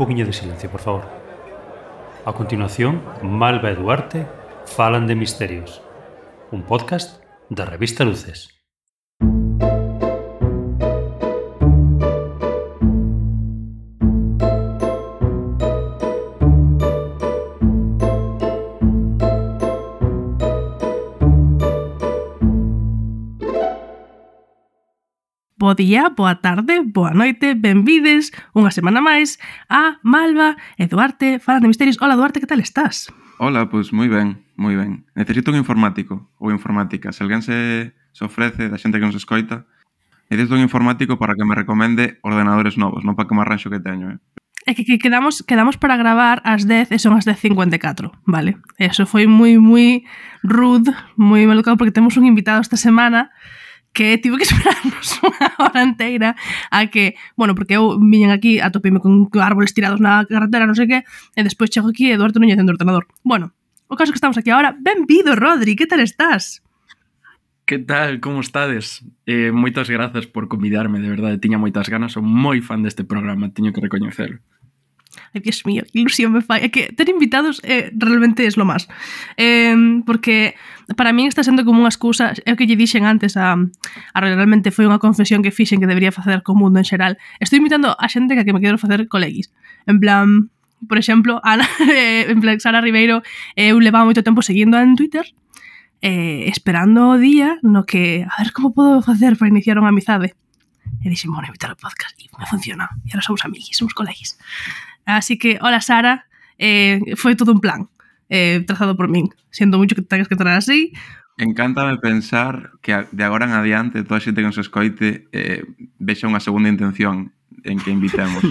poquinho de silencio, por favor. A continuación, Malva e Duarte falan de misterios. Un podcast da revista Luces. Bo día, boa tarde, boa noite, benvides unha semana máis a Malva e Duarte falan de misterios. Hola Duarte, que tal estás? Hola, pois moi ben, moi ben. Necesito un informático ou informática. Se alguén se ofrece da xente que nos escoita, necesito un informático para que me recomende ordenadores novos, non para que me arranxo que teño, É que quedamos para gravar ás 10 e son as 10:54, vale? Eso foi moi rude, moi malucado, porque temos un invitado esta semana que tive que esperarnos unha hora inteira a que, bueno, porque eu viñen aquí, atopime con árboles tirados na carretera, non sei que, e despois chego aquí e Eduardo non lle encendo o ordenador. Bueno, o caso é que estamos aquí agora. Benvido, Rodri, que tal estás? Que tal, como estades? Moitas grazas por convidarme, de verdade, tiña moitas ganas, son moi fan deste programa, teño que recoñecelo. Ai, Dios mío, que ilusión me fai. É que ter invitados realmente es lo más. Porque para min está sendo como unha excusa. É o que lle dixen antes realmente foi unha confesión que fixen que debería facer co mundo en xeral. Estou invitando a xente que me quero facer coleguis. En plan, por exemplo, Ana, en plan, Sara Ribeiro, eu levaba moito tempo seguindo en Twitter, esperando o día no que, a ver como podo facer para iniciar unha amizade. E dixen, bueno, invitar ao podcast, e me funciona. E ahora somos amiguis, somos coleguis. Así que, hola Sara, foi todo un plan trazado por min. Siento mucho que tengas que traer así. Encántame pensar que de agora en adiante toda a xente que nos escoite vexa unha segunda intención en que invitemos.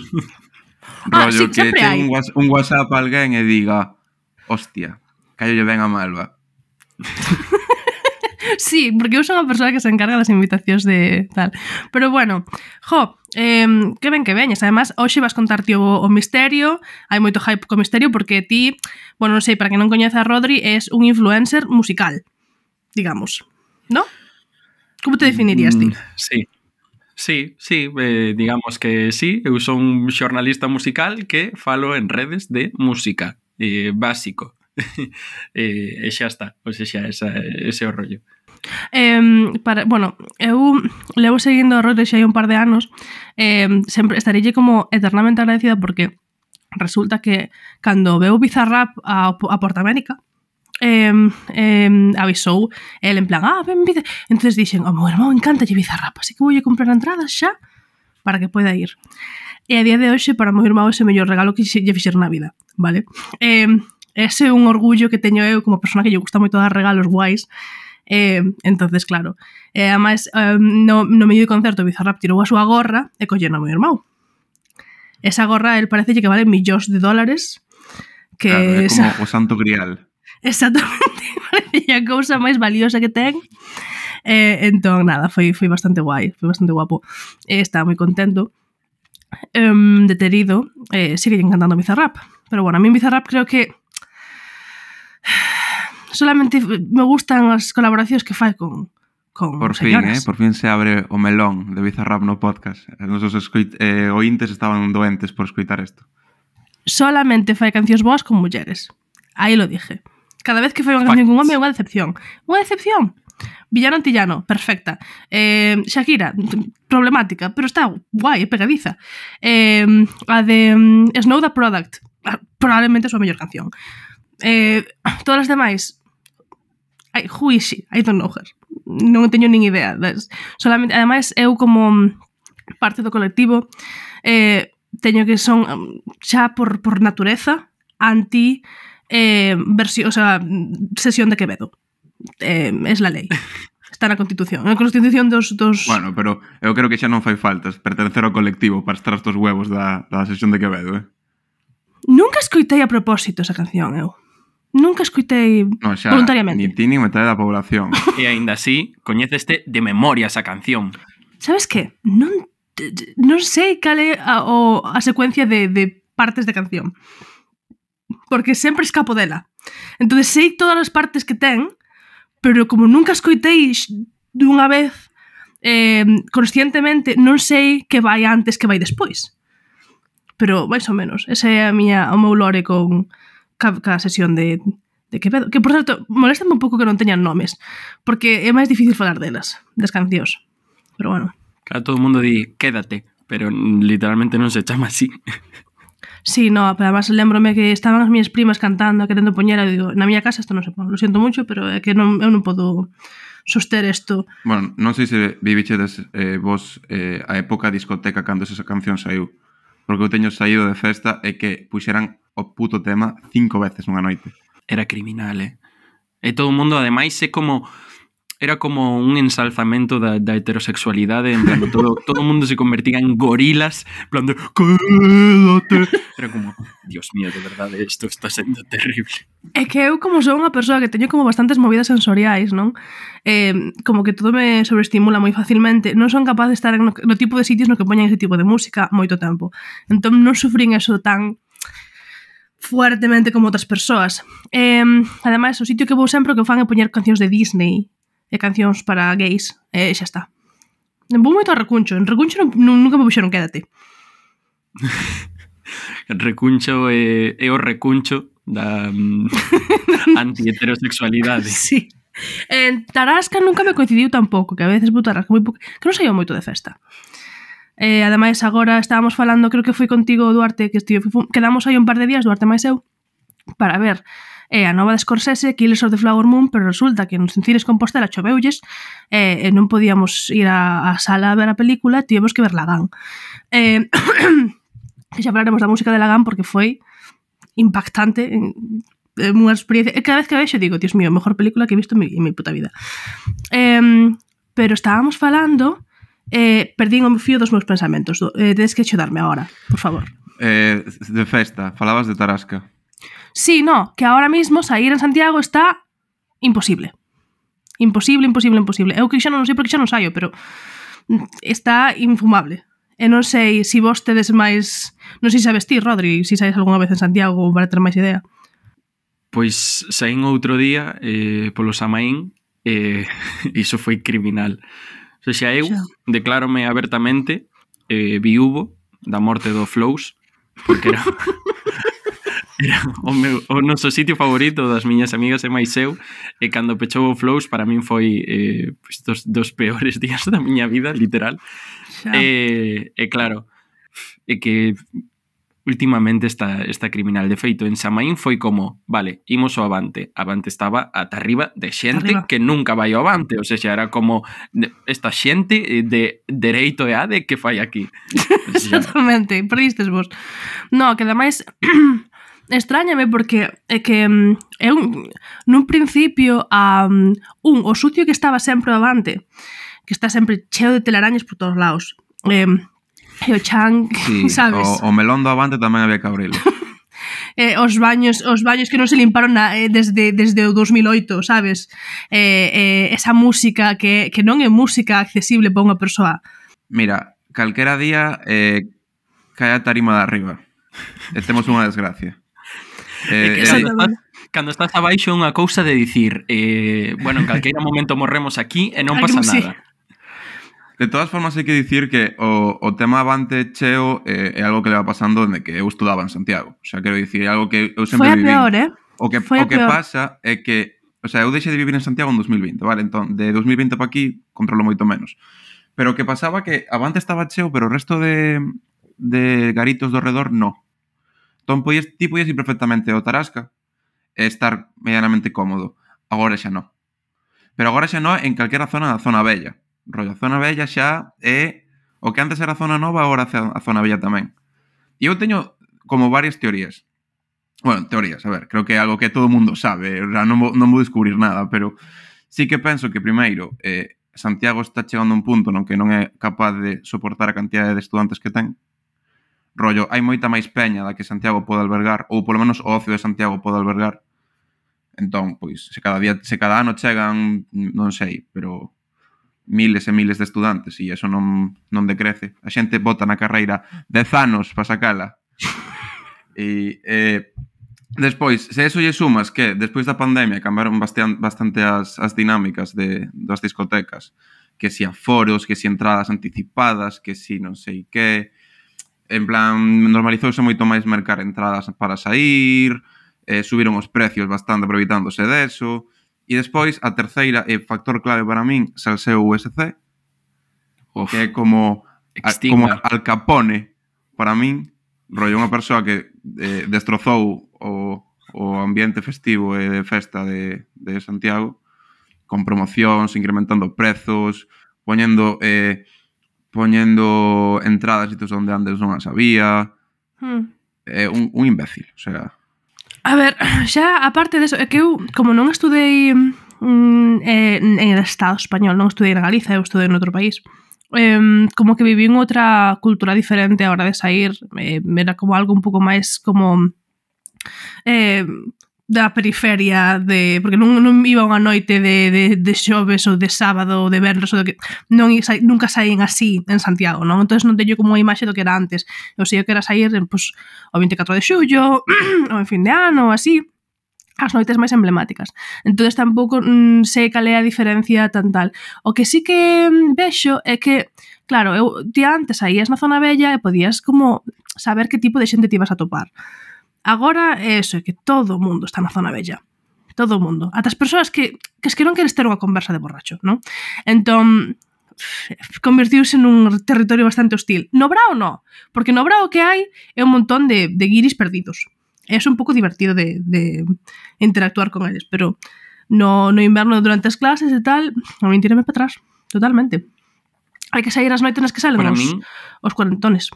Rollo sí, que hai ten un WhatsApp a alguén e diga, hostia, callolle ben a Malva. Sí, porque eu son a persoa que se encarga das invitacións de tal. Pero bueno, que ben que veñes. Además, hoxe vas contarte o misterio. Hai moito hype co misterio porque ti, bueno, non sei, para que non coñeza a Rodri, es un influencer musical, digamos, ¿no? Como te definirías ti? Sí, digamos que sí. Eu son un xornalista musical que falo en redes de música, básico. E xa está, ou seja, ese é o rollo. Bueno, eu levo seguindo a Rodri xa hai un par de anos. Sempre estarelle como eternamente agradecida porque resulta que cando veu Bizarrap a Porta América, avisou el en plan, ven Bizarrap. Entonces dixen, meu irmão encántalle Bizarrap, así que voulle comprar entradas xa para que poida ir. E a día de hoxe para meu irmão ese mellor regalo que lle fixeron na vida, vale? Ese é un orgullo que teño eu como persona que lle gusta moito dar regalos guais. Entonces, claro, además no medio de concerto Bizarrap tirou a súa gorra e colleu no meu irmão. Esa gorra, el parece que vale millóns de dólares, que claro, é como o santo grial. Exactamente, parece a cousa máis valiosa que ten. Entón, nada, foi bastante guai, foi bastante guapo. Estaba moi contento de ter ido. Sigue encantando Bizarrap, pero bueno, a mí Bizarrap creo que solamente me gustan as colaboracións que fai con por señoras. Por fin se abre o melón de Bizarrap no podcast. Os nosos ointes estaban doentes por escoitar isto. Solamente fai cancións boas con mulleres. Aí lo dije. Cada vez que fai unha canción con un home é unha decepción. Unha decepción. Villano Antillano, perfecta. Shakira, problemática, pero está guai, é pegadiza. A de Snow the Product, probablemente a súa mellor canción. Todas as demais, who is she? I don't know her. Non teño nin idea. Solamente, ademais, eu como parte do colectivo teño que son xa por natureza anti versión, o sea, sesión de Quevedo. Es la lei. Está na Constitución. Na Constitución dos... Bueno, pero eu creo que xa non fai falta pertencer ao colectivo para estar estos huevos da sesión de Quevedo, Nunca escoitei a propósito esa canción, eu. Nunca escoitei voluntariamente. Ni ti ni metade da población. E aínda así, coñeceste de memoria esa canción. Sabes que? Non sei cal é a secuencia de partes de canción. Porque sempre escapo dela. Entón sei todas as partes que ten, pero como nunca escoitei dunha vez conscientemente, non sei que vai antes, que vai despois. pero máis ou menos. Ese é o meu lore con cada sesión de Quevedo. Que, por certo, moléstame un pouco que non teñan nomes, porque é máis difícil falar delas, das cancións. Pero bueno. Claro, todo o mundo di quédate, pero literalmente non se chama así. Sí, no, pero además lembrome que estaban as miñas primas cantando, querendo poñer, e digo, na miña casa isto non se pon, lo siento mucho, pero é que eu non podo soster isto. Bueno, non sei se vivichedes vos a época discoteca cando esa canción saiu, porque eu teño saído de festa e que puxeran o puto tema 5 veces nunha noite. Era criminal, E todo o mundo, ademais, era como un ensalzamento da heterosexualidade, en plan, todo o mundo se convertía en gorilas, en plan de quédate. Era como, Dios mío, de verdade, isto está sendo terrible. É que eu, como sou unha persoa que teño como bastantes movidas sensoriais, non? Como que todo me sobreestimula moi facilmente, non son capaz de estar no tipo de sitios no que poñan ese tipo de música moito tempo. Entón non sufrín eso tan fuertemente como outras persoas. Ademais, o sitio que vou sempre que fan é poñer cancións de Disney e cancións para gays, e xa está. Vou moito a Recuncho. En Recuncho nunca me puxeron quédate. Recuncho é o recuncho da anti-heterosexualidade. Sí. En Tarasca nunca me coincidiu tampouco, que a veces vou Tarasca moi pouco, que non saía moito de festa. Ademais, agora estábamos falando, creo que foi contigo, Duarte, que quedamos aí un par de días, Duarte máis eu, para ver a nova de Scorsese, Killers of the Flower Moon, pero resulta que nos Cines Compostela choveulles e non podíamos ir á sala a ver a película, tivemos que ver Lagan. Que xa falaremos da música de Lagan porque foi impactante, unha experiencia. Cada vez que vexo digo, Dios mío, a mellor película que he visto en mi puta vida. Pero estábamos falando, perdín o fío dos meus pensamentos. Tedes que axudarme agora, por favor. De festa, falabas de Tarasca. Sí, no, que ahora mismo sair en Santiago está imposible. Imposible. Eu que xa non sei porque xa non saio, pero está infumable. E non sei se vos tedes máis... Non sei se sabes ti, Rodri, se saís algunha vez en Santiago para ter máis idea. Pois saín outro día polo Samaín e iso foi criminal. O sea, eu declárome abertamente viúvo da morte do Flows, porque era o noso sitio favorito das miñas amigas e máis eu, e cando pechou o Flows para min foi dos peores días da miña vida, literal. E claro, é que últimamente está criminal. De feito, en Samaín foi como, vale, imos ao Avante. Avante estaba ata arriba de xente que nunca vai ao Avante, ou seja, era como esta xente de dereito e ade que fai aquí. Exactamente, perdistes vos. No, que ademais extrañame porque é que eu nun principio o sucio que estaba sempre ao Avante, que está sempre cheo de telarañas por todos lados, e o chan, sí, sabes? O melón do Avante tamén había que abrilo. Os baños que non se limparon desde o 2008, sabes? Esa música que non é música accesible para unha persoa. Mira, calquera día cae a tarima de arriba e temos unha desgracia. Cando estás abaixo é unha cousa de dicir bueno, en calqueira momento morremos aquí e non pasa nada. De todas formas, hai que dicir que o tema Avante cheo é algo que leva pasando dende que eu estudaba en Santiago. O sea, quero dicir, é algo que eu sempre viví. Foi a peor, O que pasa é que, o sea, eu deixei de vivir en Santiago en 2020, vale? Entón, de 2020 para aquí, controlo moito menos. Pero o que pasaba que Avante estaba cheo, pero o resto de garitos do redor, no. Entón, ti podías ir perfectamente ao Tarasca e estar medianamente cómodo. Agora xa non. Pero agora xa non en calquera zona da zona bella. Rollo, a zona bella xa é o que antes era a zona nova, agora a zona bella tamén. E eu teño como varias teorías. Bueno, teorías, a ver, creo que é algo que todo o mundo sabe, non vou descubrir nada, pero sí que penso que primeiro Santiago está chegando a un punto no que non é capaz de soportar a cantidade de estudantes que ten. Rollo, hai moita máis peña da que Santiago pode albergar, ou polo menos o ocio de Santiago pode albergar. Entón, pois, se cada ano chegan, non sei, pero miles e miles de estudantes e iso non decrece. A xente bota na carreira 10 anos para sacala. E despois, se eso lle sumas que despois da pandemia cambiaron bastante as dinámicas das discotecas, que si aforos, que si entradas anticipadas, que si non sei que, en plan, normalizouse moito máis mercar entradas para sair, subiron os precios bastante aproveitándose deso, e despois, a terceira e factor clave para min, salseo USC, Uf, que é como extinga. Al Capone, para min, rollo unha persoa que destrozou o ambiente festivo e de festa de Santiago, con promocións, incrementando prezos, poñendo entradas sitios onde antes non as había. Un imbécil, o sea... A ver, xa, aparte deso, é que eu, como non estudei en el Estado español, non estudei na Galiza, eu estudei en outro país, como que viví en outra cultura diferente a hora de sair, era como algo un pouco máis como da periferia, porque non iba unha noite de xoves ou de sábado ou de venres ou de que nunca saín así en Santiago, non? Entón non teño como unha imaxe do que era antes. Eu sei que era sair pues, o 24 de xullo ou en fin de ano ou así, as noites máis emblemáticas. Entón tampouco sei cal é a diferencia tan tal. O que sí que vexo é que, claro, ti antes saías na zona bella e podías como saber que tipo de xente te ibas a topar. Agora é eso, é que todo o mundo está na zona bella. Todo o mundo. Ata as persoas que non queres ter unha conversa de borracho, non? Entón, convertiuse nun territorio bastante hostil. No Brao no, porque no Brao que hai é un montón de guiris perdidos. É un pouco divertido de interactuar con eles, pero no inverno durante as clases e tal, a mí tírame para atrás, totalmente. Hai que sair as noites nas que salen os cuarentones.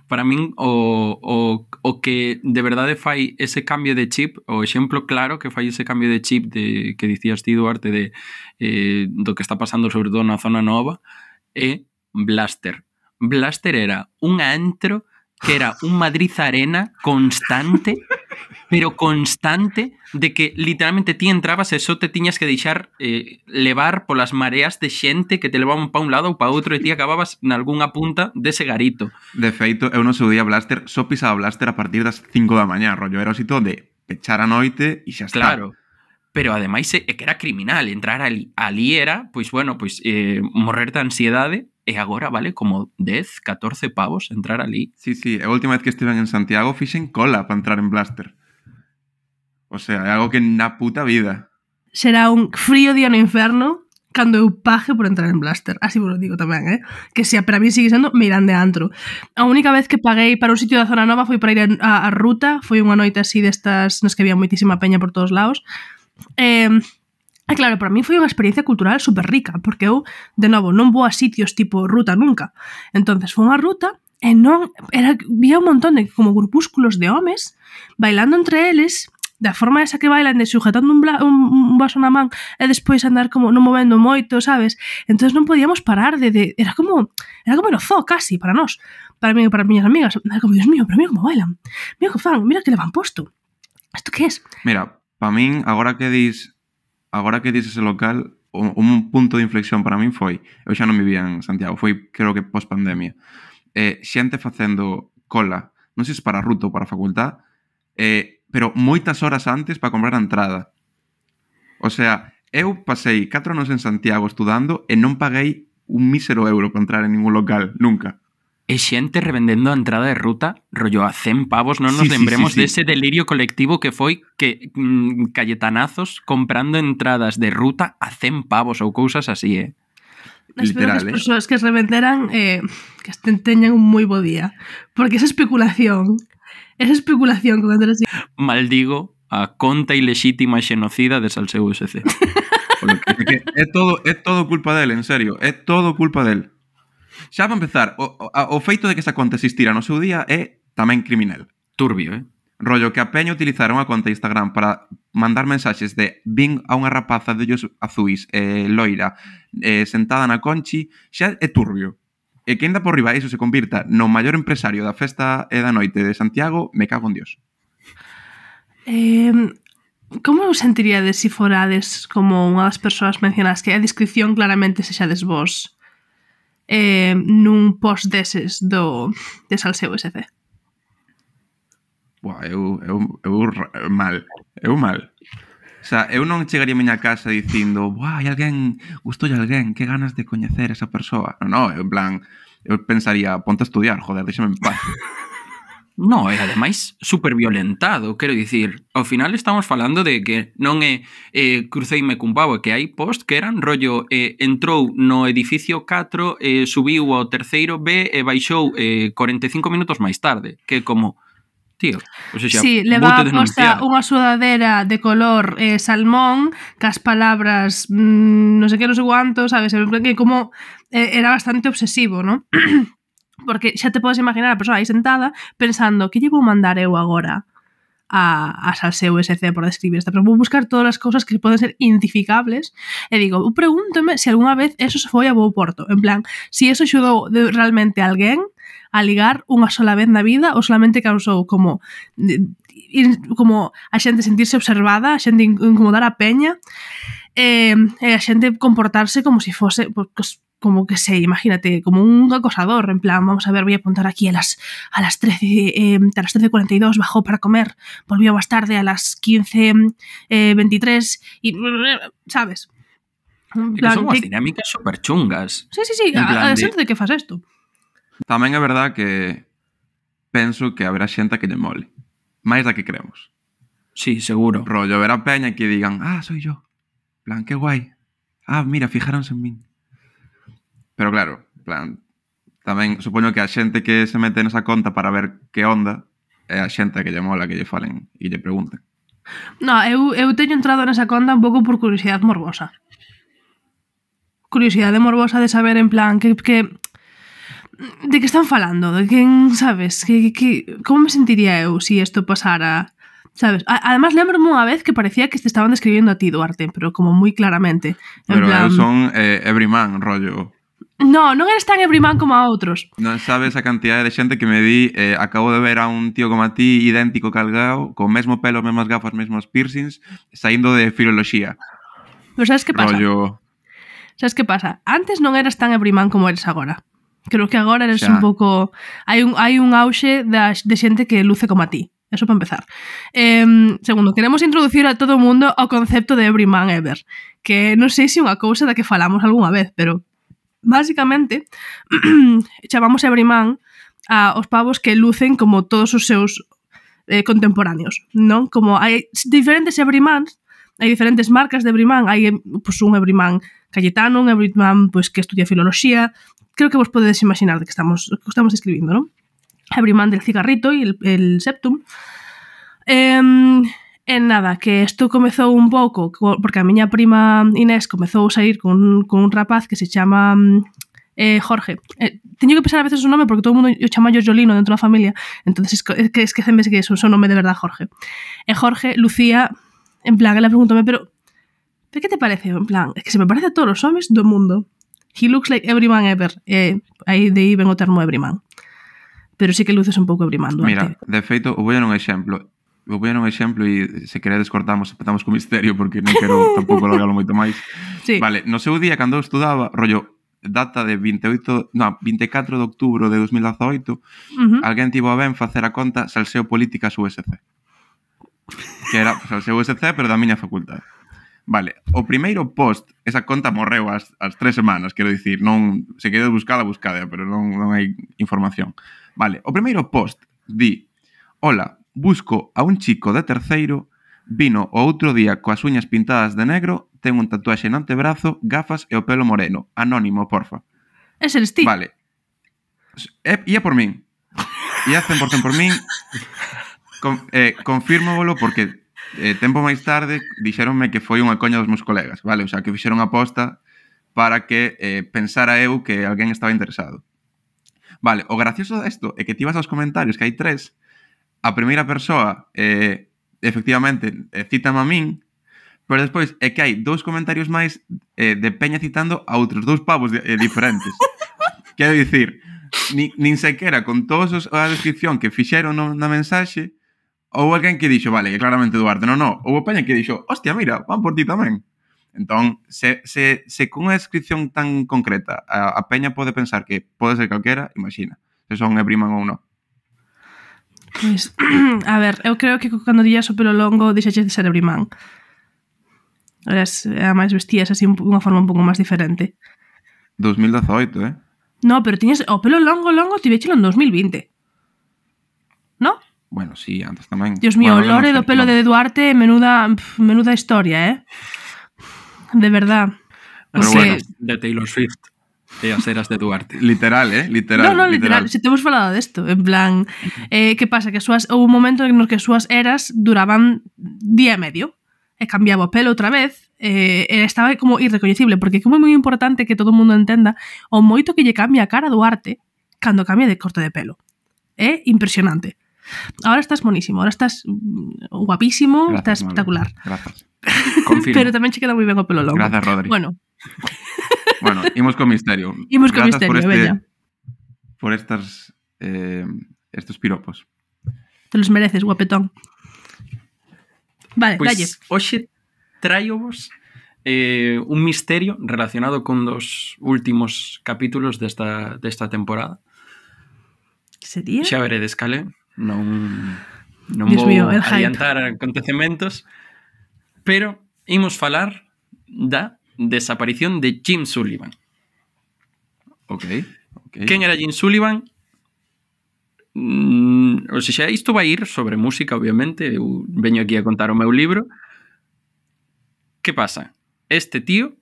Para min o que de verdade fai ese cambio de chip, o exemplo claro que fai ese cambio de chip que dicías ti, Duarte, do que está pasando sobre todo na zona nova, é Blaster. Blaster era un antro que era un Madrid Arena constante, pero constante, de que literalmente ti entrabas e só te tiñas que deixar levar polas mareas de xente que te levaban pa un lado ou pa outro e ti acababas nalgúnha punta dese garito. De feito, eu no seu día Blaster só pisaba Blaster a partir das 5 da mañá, rollo, era o sitio de pechar a noite e xa está. Claro, pero ademais é que era criminal, entrar ali era, pois bueno, pois morrer de ansiedade. E agora vale como 10, 14 pavos entrar ali. Sí, a última vez que estiven en Santiago fixen cola para entrar en Blaster. O sea, é algo que na puta vida. Será un frío día no inferno cando eu pague por entrar en Blaster. Así vos lo digo tamén, que se para mí sigue sendo mirán de antro. A única vez que paguei para un sitio da zona nova foi para ir a Ruta, foi unha noite así destas nas que había moitísima peña por todos lados. E claro, para mí foi unha experiencia cultural super rica, porque eu, de novo, non vou a sitios tipo Ruta nunca. Entonces, foi unha ruta e non vía un montón de como grupúsculos de homes bailando entre eles, da forma esa que bailan, de sujetando un vaso na man e despois andar como non movendo moito, sabes? Entonces non podíamos parar era como no zoo casi para nós, para mí e para as miñas amigas. Era como, Dios mío, pero mira como bailan, mira que fan, mira que levan posto. Isto que es? Mira, para min, agora que dis ese local, un punto de inflexión para min foi, eu xa non vivía en Santiago, foi creo que post-pandemia, xente facendo cola, non sei se para a ruta ou para a facultad, pero moitas horas antes para comprar a entrada. O sea, eu pasei 4 anos en Santiago estudando e non paguei un mísero euro para entrar en ningún local, nunca. E xente revendendo a entrada de Ruta, rollo a 100 pavos, non nos lembremos dese delirio colectivo que foi que Cayetanazos comprando entradas de Ruta a 100 pavos ou cousas así, Espero que as persoas que revenderan que teñan un moi bo día, porque esa especulación con Andrés... Maldigo a conta ilexítima e xenocida de Salseo USC. É todo culpa del, en serio, é todo culpa del. Xa para empezar, o feito de que esa conta existira no seu día é tamén criminal. Turbio, Rollo que a peña utilizara unha conta de Instagram para mandar mensaxes de vin a unha rapaza de ollos azuis, loira, sentada na Conchi, xa é turbio. E que ainda por riba iso se convirta no maior empresario da festa e da noite de Santiago, me cago en Dios. Como vos sentiríades se forades como unha das persoas mencionadas que a descripción claramente sexades vos nun post deses de Salseo USC? Buah, eu mal. O sea, eu non chegaría a miña casa dicindo, buah, hai alguén, gustoulle alguén, que ganas de coñecer esa persoa. Non, en plan, eu pensaría, ponte a estudiar, joder, déxame en paz. No, e ademais super violentado, quero dicir, ao final estamos falando de que non é cruceime cun pavo, que hai post que eran rollo entrou no edificio 4, subiu ao terceiro B e baixou 45 minutos máis tarde, que como, tío, o sea, sí, levaba posta unha sudadera de color salmón, cas palabras non sei que, non sei cuánto, sabes, que como era bastante obsesivo, ¿no? Porque xa te podes imaginar a persoa aí sentada pensando que lle vou mandar eu agora a Salseu SC por describir esta, pero vou buscar todas as cousas que poden ser identificables e digo, pregúntome se algunha vez eso se foi a bo porto, en plan, si eso axudou realmente a alguén a ligar unha sola vez na vida ou solamente causou como a xente sentirse observada, a xente incomodar a peña e a xente comportarse como si fose pues, como que sei, imagínate, como un acosador, en plan, vamos a ver, voy a apuntar aquí a las 13:42 bajó para comer, volvió más tarde a las 15:23 y, ¿sabes? En plan, que son as dinámicas super chungas. Sí, a xente de que faz isto. Tamén é verdad que penso que haberá xente que lle mole, máis da que creemos. Sí, seguro. Rollo, verá peña que digan, soy yo. Plan, qué guai. Mira, fijaronse en min. Pero claro, plan, tamén supoño que a xente que se mete nesa conta para ver que onda é a xente que lle mola que lle falen e lle pregunten. No, eu teño entrado nesa conta un pouco por curiosidade morbosa. Curiosidade morbosa de saber en plan que de que están falando, de quen, sabes, como me sentiría eu se isto pasara, sabes? Además, lembro-me unha vez que parecía que te estaban describiendo a ti, Duarte, pero como moi claramente. Pero plan... eu son everyman, rollo. No, non eres tan everyman como a outros. Non sabes a cantidad de xente que me di acabo de ver a un tío como a ti, idéntico calgao, con mesmo pelo, mesmas gafas, mesmos piercings, saindo de filoloxía. Pero sabes que pasa? Rollo... Sabes que pasa? Antes non eras tan everyman como eres agora. Creo que agora eres un pouco... Hai un auxe de xente que luce como a ti. Eso para empezar. Segundo, queremos introducir a todo o mundo ao concepto de everyman ever, que non sei se unha cousa da que falamos algunha vez, pero básicamente chamamos everyman aos pavos que lucen como todos os seus contemporáneos, non? Como hai diferentes everymans, hai diferentes marcas de everyman, hai pues, un everyman Cayetano, un everyman pues, que estudia filoloxía. Creo que vos podedes imaginar de que estamos escribindo, non? Everyman del cigarrito e el septum. Nada, que isto comezou un pouco porque a miña prima Inés comezou a sair con un rapaz que se chama Jorge. Teño que pensar a veces o nome porque todo o mundo o chama Jolino dentro da familia, entonces esqueceme que é o nome de verdade Jorge. E Jorge lucía, en plan, ela pregúntame, pero que te parece? En plan, é que se me parece a todos os homes do mundo. He looks like everyman ever. Aí de aí ven o termo everyman. Pero sí que luces un pouco everyman, Duarte. Mira, de feito, vou a un exemplo. E se queredes cortamos, empezamos co misterio porque non quero tampouco logalo moito máis. Sí. Vale, no seu día cando eu estudaba, rollo, data de 24 de outubro de 2018, alguén tivo a ben facer a conta Salseo Políticas USC. Que era Salseo USC, pero da miña facultade. Vale, o primeiro post, esa conta morreu as 3 semanas, quero dicir, non, se queredes buscada, pero non hai información. Vale, o primeiro post di: hola, busco a un chico de terceiro, vino o outro día coas uñas pintadas de negro, ten un tatuaxe no antebrazo, gafas e o pelo moreno. Anónimo, porfa. Ese eres ti. Vale. Ia por min. Ia 100% por min. Confírmovolo porque tempo máis tarde dixéronme que foi unha coña dos meus colegas, vale? O sea, que fixeron aposta para que pensara eu que alguén estaba interesado. Vale, o gracioso desto é que ti vas aos comentarios, que hai 3, a primeira persoa efectivamente cítame a min, pero despois é que hai 2 comentarios máis de peña citando a outros 2 pavos diferentes. Quero dicir, nin sequera con todos a descripción que fixeron na mensaxe, houve alguén que dixo, vale, que claramente Duarte, non, houve peña que dixo, hostia, mira, van por ti tamén. Entón, se con unha descripción tan concreta a peña pode pensar que pode ser calquera, imagina, se son everyman ou non. Pois, a ver, eu creo que cando dillas o pelo longo deixaches de ser everyman. Ademais vestías así unha forma un pouco máis diferente. 2018, No, pero tiñes o pelo longo, tivechelo en 2020. ¿No? Bueno, sí, antes tamén. Dios mío, bueno, o lore do pelo de Duarte, menuda historia, De verdad. Pero Porque... bueno. De Taylor Swift e as eras de Duarte. Literal, literal. No, literal. Se temos falado desto, en plan, que pasa? Que houve un momento en que as súas eras duraban día e medio, e cambiaba o pelo outra vez, estaba como irrecoñecible, porque é moi importante que todo o mundo entenda o moito que lle cambia a cara a Duarte cando cambia de corte de pelo. É impresionante. Ahora estás monísimo, ahora estás guapísimo, Gracias, estás espectacular. Gracias. Confirmo. Pero tamén che queda moi ben o pelo longo. Gracias, Rodri. Bueno, Imos con misterio. imos con Gracias misterio, bella. por estos piropos. Te los mereces, guapetón. Vale, dalle. Pois hoxe traio-vos un misterio relacionado con dos últimos capítulos desta temporada. Sería? Xa veredes cale, non Dios vou mío, el hype. adiantar acontecementos, pero imos falar da desaparición de Jim Sullivan. Ok. Quen era Jim Sullivan? O sea, isto vai ir sobre música, obviamente. Eu veño aquí a contar o meu libro. Que pasa? Este tío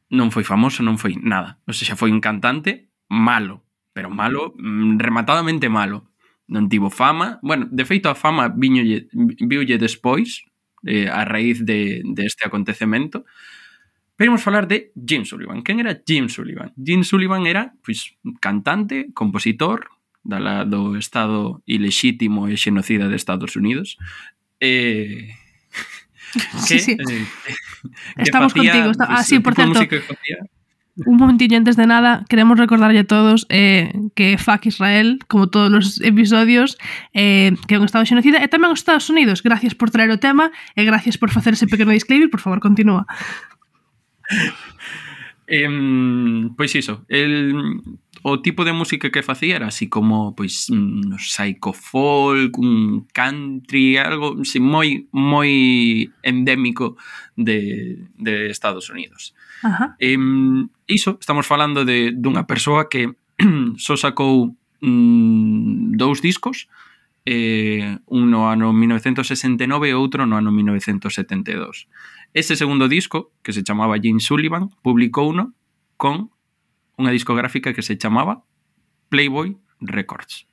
non foi famoso, non foi nada. O sea, foi un cantante malo, pero malo, rematadamente malo. Non tivo fama. Bueno, de feito a fama viulle despois, a raíz deste acontecemento. Pero imos falar de Jim Sullivan. Quen era Jim Sullivan? Jim Sullivan era, pois, cantante, compositor do estado ilexítimo e xenocida de Estados Unidos. Sí. Estamos contigo. Sí, por certo, un momentillo antes de nada, queremos recordarlle a todos que fuck Israel, como todos os episodios, que é un estado xenocida, e tamén os Estados Unidos. Gracias por traer o tema e gracias por facer ese pequeno disclaimer. Por favor, continúa. Pois iso, o tipo de música que facía era así como pois psycho folk, un country, algo así, moi endémico de Estados Unidos. Ajá. Iso, estamos falando dunha persoa que só sacou 2 discos, un no ano 1969 e outro no ano 1972. Ese segundo disco, que se chamaba Jim Sullivan, publicouno con unha discográfica que se chamaba Playboy Records.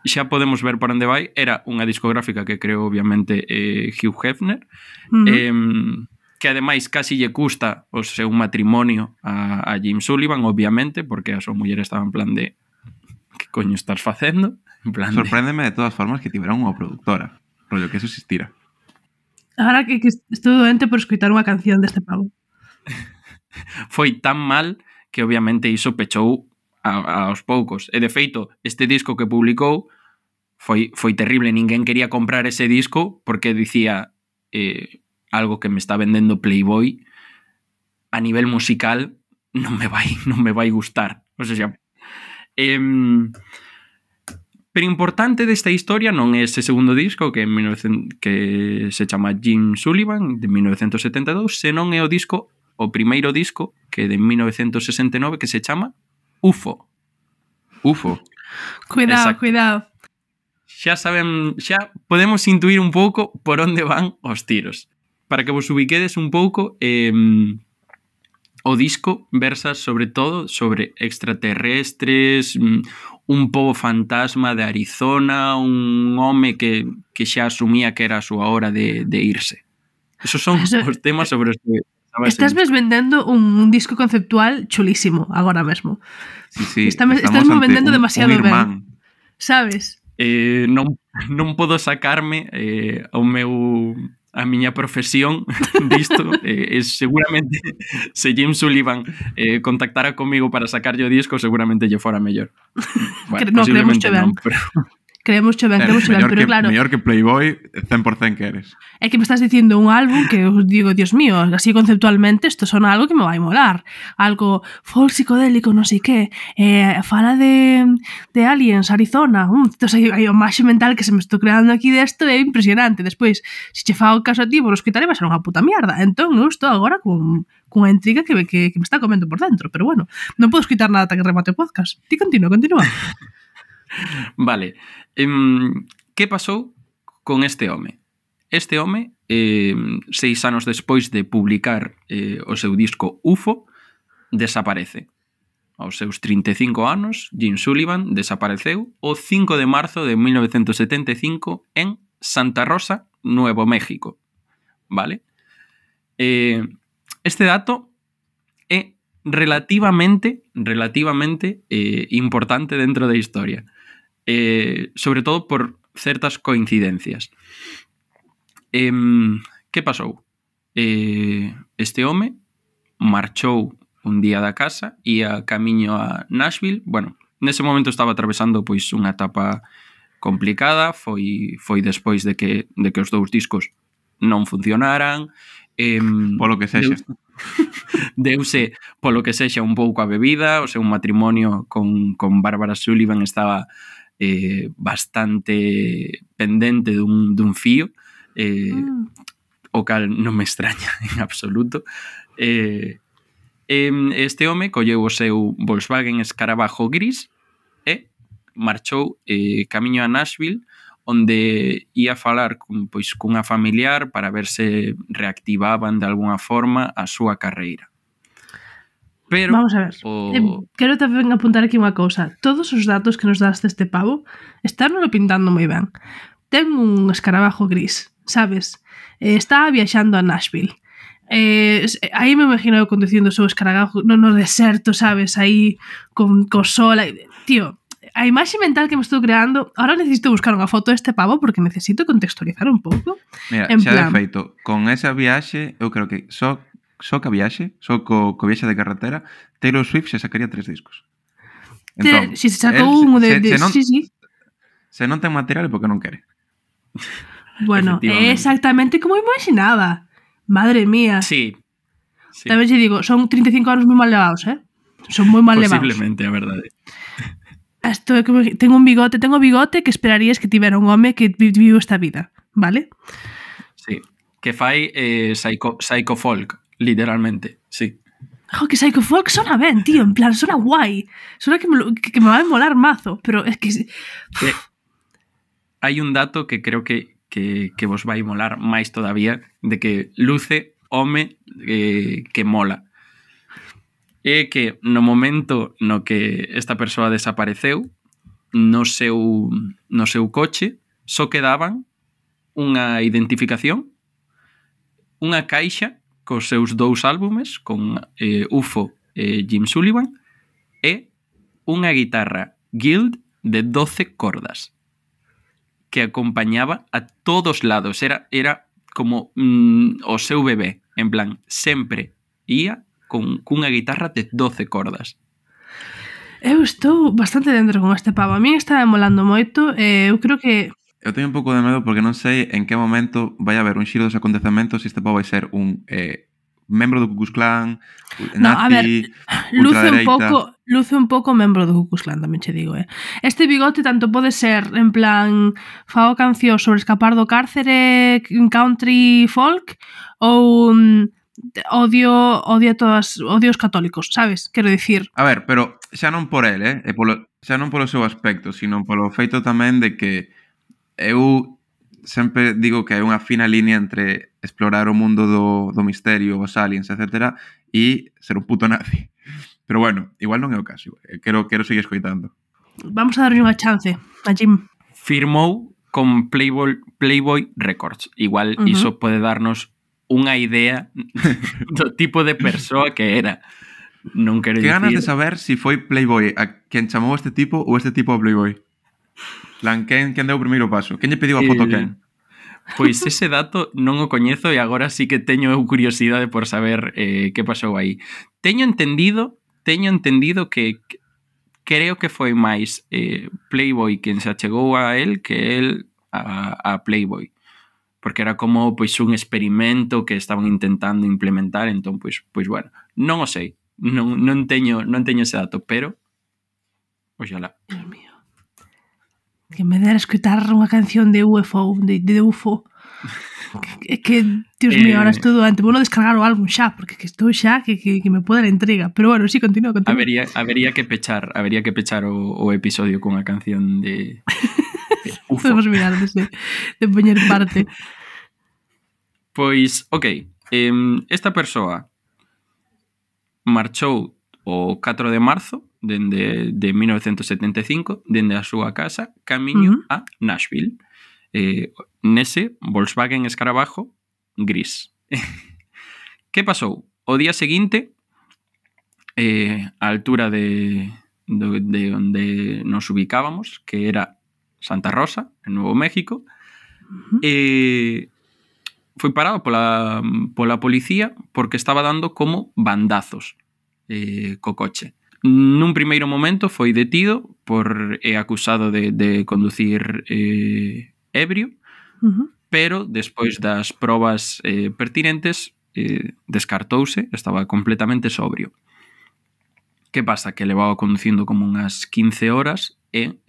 Xa podemos ver por onde vai. Era unha discográfica que creou obviamente Hugh Hefner, que ademais casi lle custa o seu matrimonio a Jim Sullivan, obviamente, porque a súa muller estaba en plan de que coño estás facendo? En plan Sorpréndeme de todas formas que tivera unha productora, rollo que eso existira. Ahora que estou doente por escoitar unha canción deste pavo. Foi tan mal que obviamente iso pechou aos poucos. E de feito, este disco que publicou foi terrible. Ninguén quería comprar ese disco porque dicía algo que me está vendendo Playboy a nivel musical non me vai gustar. O sea, pero importante desta historia non é ese segundo disco que se chama Jim Sullivan de 1972, senón é o primeiro disco que é de 1969 que se chama UFO. Cuidado, Exacto. cuidado. Xa podemos intuir un pouco por onde van os tiros. Para que vos ubiquedes un pouco, o disco versa sobre todo sobre extraterrestres, un pobo fantasma de Arizona, un home que xa asumía que era a súa hora de irse. Esos son os temas sobre os que estás vendendo un disco conceptual chulísimo agora mesmo. Sí, estás vendendo demasiado ben. Sabes? Non podo sacarme a miña profesión disto. Seguramente se Jim Sullivan contactara comigo para sacarlle o disco, seguramente lle fora mellor. Bueno, posiblemente non, pero... Creemos ben, pero claro... Mellor que Playboy, 100% que eres. É que me estás dicindo un álbum que os digo, Dios mío, así conceptualmente isto sona algo que me vai molar. Algo folk psicodélico, non sei que. Fala de aliens, Arizona. Entón, hai o máxe mental que se me estou creando aquí desto é impresionante. Despois, se che fago caso a ti, vos escoitaré, vai ser unha puta mierda. Entón, eu estou agora cun cunha intriga que me está comendo por dentro, pero bueno, non podo escutar nada ata que remate o podcast. Ti continúa. Vale. Que pasou con este home? Este home, 6 anos despois de publicar o seu disco UFO, desaparece. Aos seus 35 anos, Jim Sullivan desapareceu o 5 de marzo de 1975 en Santa Rosa, Nuevo México. Vale? Este dato é relativamente importante dentro da historia. Sobre todo por certas coincidencias. Que pasou? Este home marchou un día da casa, ia camiño a Nashville. Bueno, nese momento estaba atravesando pois unha etapa complicada, foi despois de que os dous discos non funcionaran, Polo que sexa. Deuse polo que sexa un pouco a bebida, o seu matrimonio con Barbara Sullivan estaba bastante pendente dun fío, o cal non me extraña en absoluto. Este home colleu o seu Volkswagen Escarabajo gris e marchou camiño a Nashville, onde ia falar cunha familiar para ver se reactivaban de alguna forma a súa carreira. Pero vamos a ver. Quero tamén apuntar aquí unha cousa. Todos os datos que nos das deste pavo están pintando moi ben. Ten un escarabajo gris, sabes? Está viaxando a Nashville. Aí me imagino eu conducindo o seu escarabajo no deserto, sabes? Aí con sol. Tío, a imaxe mental que me estou creando, ahora necesito buscar unha foto deste pavo porque necesito contextualizar un pouco. Mira, xa de feito, con esa viaxe, eu creo que só ca viaxe, só co viaxe de carretera, Taylor Swift se sacaría 3 discos. Entón, se sacou un de sí. Se non ten material é porque non quere. Bueno, é exactamente como imaginaba. Madre mía. Sí. Tamén xe digo, son 35 anos moi mal levados, Son moi mal levados. Posiblemente, a verdade. Tengo bigote que esperarías que tivera un home que viviu esta vida, vale? Sí, que fai psycho folk, literalmente, sí. Que psycho folk sona ben, tío, en plan, sona guai. Sona que me va a molar mazo, pero es que hai un dato que creo que vos vai molar máis todavía, de que luce home que mola. É que no momento no que esta persoa desapareceu, no seu coche só quedaban unha identificación, unha caixa cos seus 2 álbumes, con UFO e Jim Sullivan, e unha guitarra Guild de 12 cordas que acompañaba a todos lados. Era como o seu bebé, en plan, sempre ia cunha guitarra de 12 cordas. Eu estou bastante dentro con este pavo. A mí está molando moito. Eu creo que... Eu teño un pouco de medo porque non sei en que momento vai haber un xiro dos acontecementos se este pavo vai ser un membro do Ku Klux Klan, nazi, ultradereita... Luce un pouco membro do Ku Klux Klan, tamén che digo, Este bigote tanto pode ser, en plan, fago canción sobre escapar do cárcere, country folk, ou odio os católicos, sabes? Quero dicir... A ver, pero xa non por el, xa non polo seu aspecto, sino polo feito tamén de que eu sempre digo que hai unha fina línea entre explorar o mundo do misterio, os aliens, etc., e ser un puto nazi. Pero bueno, igual non é o caso. Quero seguir escoitando. Vamos a darlle unha chance a Jim. Firmou con Playboy Records. Igual iso pode darnos unha idea do tipo de persoa que era. Non quero dicir... Que ganas de saber se foi Playboy a quen chamou este tipo ou este tipo a Playboy. Quen deu o primeiro paso? Quen lle pediu a foto a quen? Pois ese dato non o coñezo e agora sí que teño curiosidade por saber que pasou aí. Teño entendido que creo que foi máis Playboy quen se achegou a él que él a Playboy. Porque era como pois un experimento que estaban intentando implementar, entón pois bueno, non o sei. Non teño ese dato, pero oxalá. Dios mío. Que me dera escutar unha canción de UFO, de UFO. É que, Dios mío, ahora estou doente. Vou descargar o álbum xa, porque que estou xa que me pode la intriga. Pero bueno, sí, continúa. Habería que pechar o episodio con a canción de UFO. Podemos mirar de poñer parte. Pois, ok, esta persoa marchou o 4 de marzo de 1975 dende a súa casa camiño a Nashville. Nese Volkswagen Escarabajo gris. Que pasou? O día seguinte, a altura de onde nos ubicábamos, que era Santa Rosa, en Nuevo México, foi parado pola policía porque estaba dando como bandazos co coche. Nun primeiro momento foi detido por acusado de conducir ebrio, pero despois das probas pertinentes descartouse, estaba completamente sobrio. Que pasa? Que levaba conducindo como unhas 15 horas e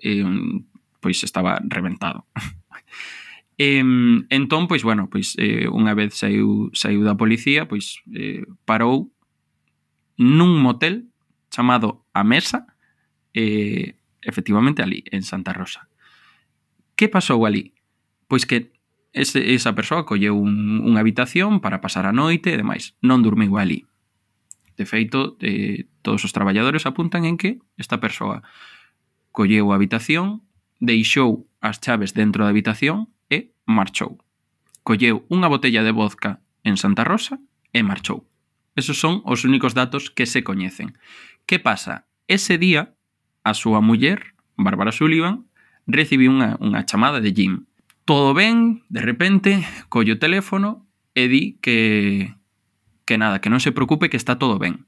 pois estaba reventado. Entón, pois, bueno, pois unha vez saiu da policía, pois parou nun motel chamado A Mesa, efectivamente ali, en Santa Rosa. Que pasou ali? Pois que esa persoa colleu unha habitación para pasar a noite e demais. Non dormiu ali. De feito, todos os traballadores apuntan en que esta persoa colleu a habitación, deixou as chaves dentro da habitación e marchou. Colleu unha botella de vodka en Santa Rosa e marchou. Esos son os únicos datos que se coñecen. Que pasa? Ese día, a súa muller, Bárbara Sullivan, recibiu unha chamada de Jim. Todo ben, de repente, colle o teléfono e di que nada, que non se preocupe, que está todo ben.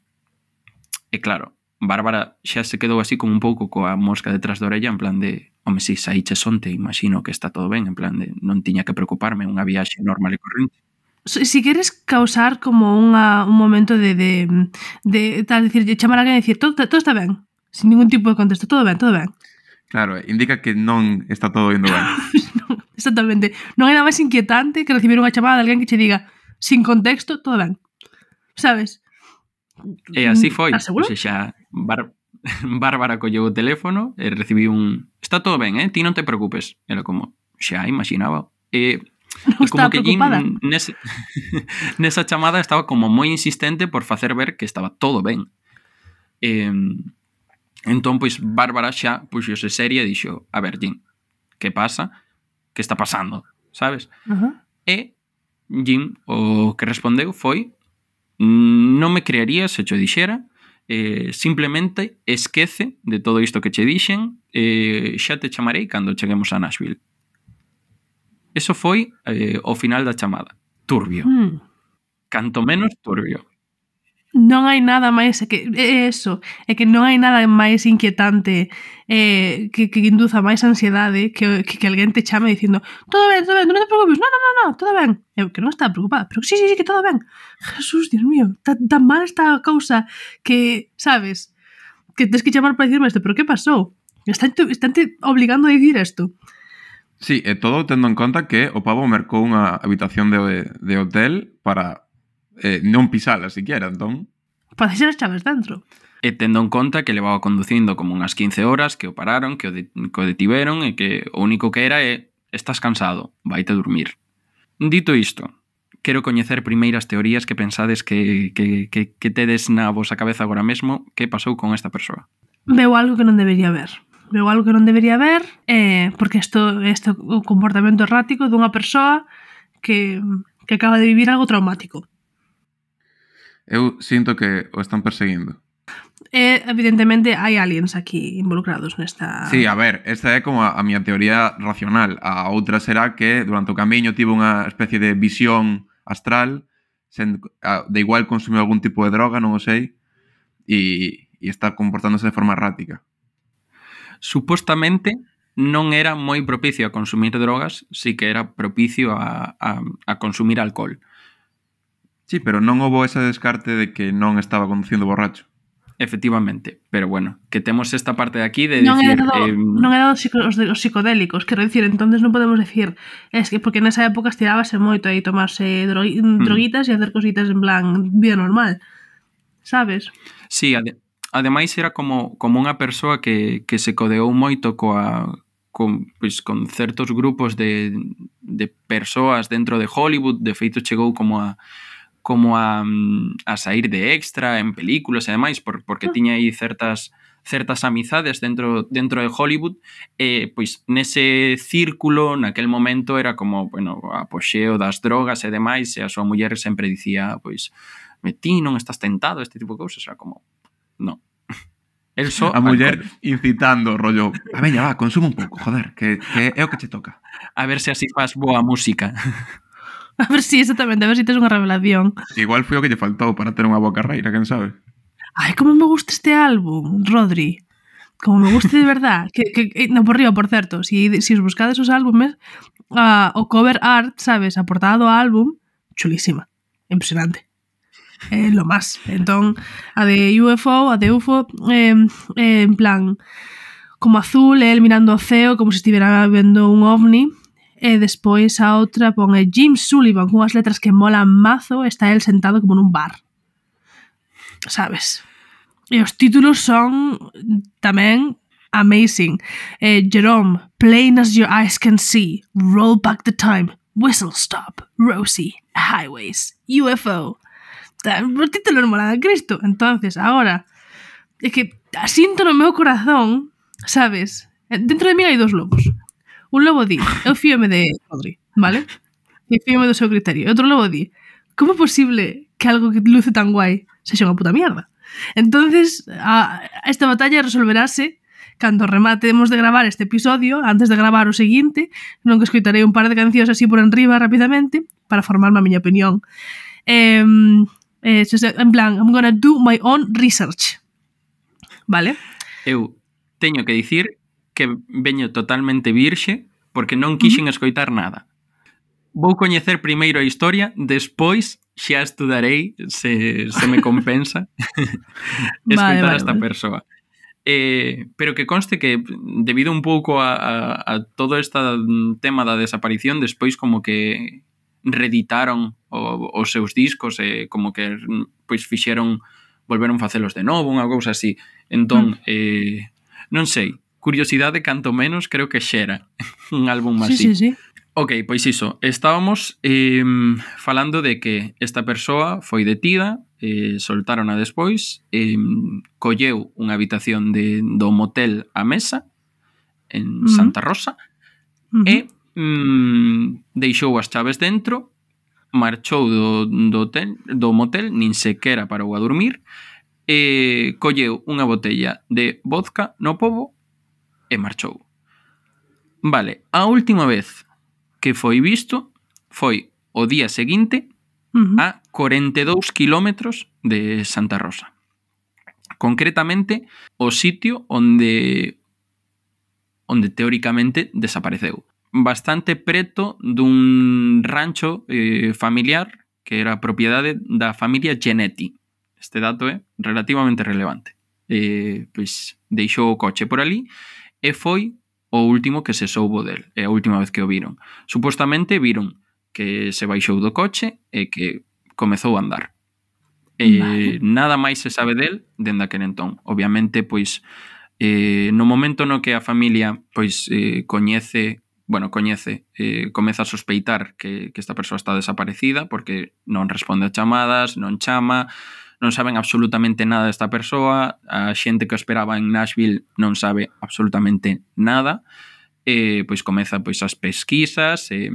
E claro, Bárbara xa se quedou así como un pouco coa mosca detrás da orella, en plan de, home, si saíches onte, imagino que está todo ben, en plan de, non tiña que preocuparme, unha viaxe normal e corrente. Si queres causar como un momento de tal, decir, chamar a alguén e dicir, todo está ben, sin ningún tipo de contexto, todo ben. Claro, indica que non está todo indo ben. Non, exactamente. Non hai nada máis inquietante que recibir unha chamada de alguén que che diga, sin contexto, todo ben. Sabes? E así foi. Estás seguro? O sea, Bárbara colleu o teléfono e recibiu un... Está todo ben, ti non te preocupes. Era como, xa, imaginaba. Non estaba preocupada. Nesa chamada estaba como moi insistente por facer ver que estaba todo ben. Entón, pois, Bárbara xa puxose seria e dixo, a ver, Jim, que pasa? Que está pasando? Sabes? E Jim o que respondeu foi, non me crearía se cho dixera, simplemente esquece de todo isto que che dixen, xa te chamarei cando cheguemos a Nashville. Eso foi o final da chamada. Turbio. Canto menos turbio. Non hai nada máis, é que non hai nada máis inquietante que induza máis ansiedade que alguén te chame dicindo todo ben, non te preocupes, no, todo ben. Eu que non estaba preocupada, pero sí, que todo ben. Jesús, Dios mío, tan mal está a cousa que, sabes, que tens que chamar para dicirme isto, pero que pasou? Están te obligando a dicir isto. Sí, e todo tendo en conta que o pavo mercou unha habitación de hotel para non pisala siquiera, entón. Para deixar as chaves dentro. E tendo en conta que levaba conducindo como unhas 15 horas, que o pararon, que o detiveron e que o único que era é estás cansado, vaite a dormir. Dito isto, quero coñecer primeiras teorías que pensades que tedes na vosa cabeza agora mesmo que pasou con esta persoa. Veo algo que non debería ver. Porque isto é o comportamento errático dunha persoa que acaba de vivir algo traumático. Eu sinto que o están perseguindo. Evidentemente hai aliens aquí involucrados nesta... Sí, a ver, esta é como a miña teoría racional. A outra será que durante o camiño tivo unha especie de visión astral, de igual consumiu algún tipo de droga, non o sei, e está comportándose de forma errática. Supostamente non era moi propicio a consumir drogas, sí que era propicio a consumir alcohol. Sí, pero non houbo ese descarte de que non estaba conducindo borracho. efectivamente. Pero bueno, que temos esta parte de aquí de Non dicir... non é dado os psicodélicos, quero dicir, entonces non podemos decir es que porque nesa época estirábase moito aí tomarse droguitas e hacer cositas en plan vida normal, sabes? Sí, ademais era como unha persoa que se codeou moito con certos grupos de persoas dentro de Hollywood. De feito chegou como a sair de extra en películas e demais, porque tiña aí certas amizades dentro de Hollywood. Pois nese círculo, naquel momento, era como, bueno, apoxeo das drogas e demais, e a súa muller sempre dicía, pois, ti non estás tentado, este tipo de cousas. Era como, no. El só a muller incitando, rollo, veña, va, consume un pouco, joder, que é o que che toca. A ver se así faz boa música. A ver si, exactamente, a ver si tes unha revelación. Igual foi o que lle faltou para ter unha boa carreira, quen sabe? Ai, como me gusta este álbum, Rodri. Como me gusta de verdad. No, por río, por certo, si os buscades os álbumes, o cover art, sabes, a portada do álbum, chulísima, impresionante. Lo más. Entón, a de UFO, en plan como azul, el mirando o ceo como se estivera vendo un ovni. E despois a outra pon Jim Sullivan cunhas letras que molan mazo, está el sentado como nun bar, sabes? E os títulos son tamén amazing. Jerome, Plain as your eyes can see, Roll back the time, Whistle stop, Rosie, Highways, UFO. Os títulos molan a Cristo. Entonces, agora é que sinto no meu corazón, sabes? Dentro de mí hai dos lobos. Un lobo di, eu fíome de Rodri, vale? E fíome do seu criterio. E outro lobo di, como é posible que algo que luce tan guai sexa unha puta mierda? Entonces, esta batalla resolverase cando rematemos de gravar este episodio, antes de gravar o seguinte, non que escoitarei un par de cancións así por enriba rapidamente para formarme a miña opinión. En plan, I'm gonna do my own research. Vale? Eu teño que dicir que veño totalmente virxe porque non quixen escoitar nada. Vou coñecer primeiro a historia, despois xa estudarei se me compensa escoitar a esta persoa. Pero que conste que debido un pouco a todo este tema da desaparición, despois como que reeditaron os seus discos e como que pois volveron facelos de novo, unha cousa así. Entón, non sei, curiosidade canto menos creo que xera un álbum así. Sí. Ok, pois iso, estábamos falando de que esta persoa foi detida, soltárona despois, colleu unha habitación do motel A Mesa en Santa Rosa e deixou as chaves dentro, marchou do motel, nin sequera parou a dormir, colleu unha botella de vodka no pobo e marchou. Vale, a última vez que foi visto foi o día seguinte a 42 kilómetros de Santa Rosa. Concretamente, o sitio onde teóricamente desapareceu. Bastante preto dun rancho familiar que era propiedade da familia Genetti. Este dato é relativamente relevante. Pois deixou o coche por ali e foi o último que se soubo del, é a última vez que o viron. Supostamente viron que se baixou do coche e que comezou a andar. Vale. Nada máis se sabe del dende aquel entón. Obviamente, pois, no momento no que a familia pois comeza a sospeitar que esta persoa está desaparecida porque non responde a chamadas, non chama, non saben absolutamente nada desta persoa, a xente que o esperaba en Nashville non sabe absolutamente nada, pois comeza pois as pesquisas e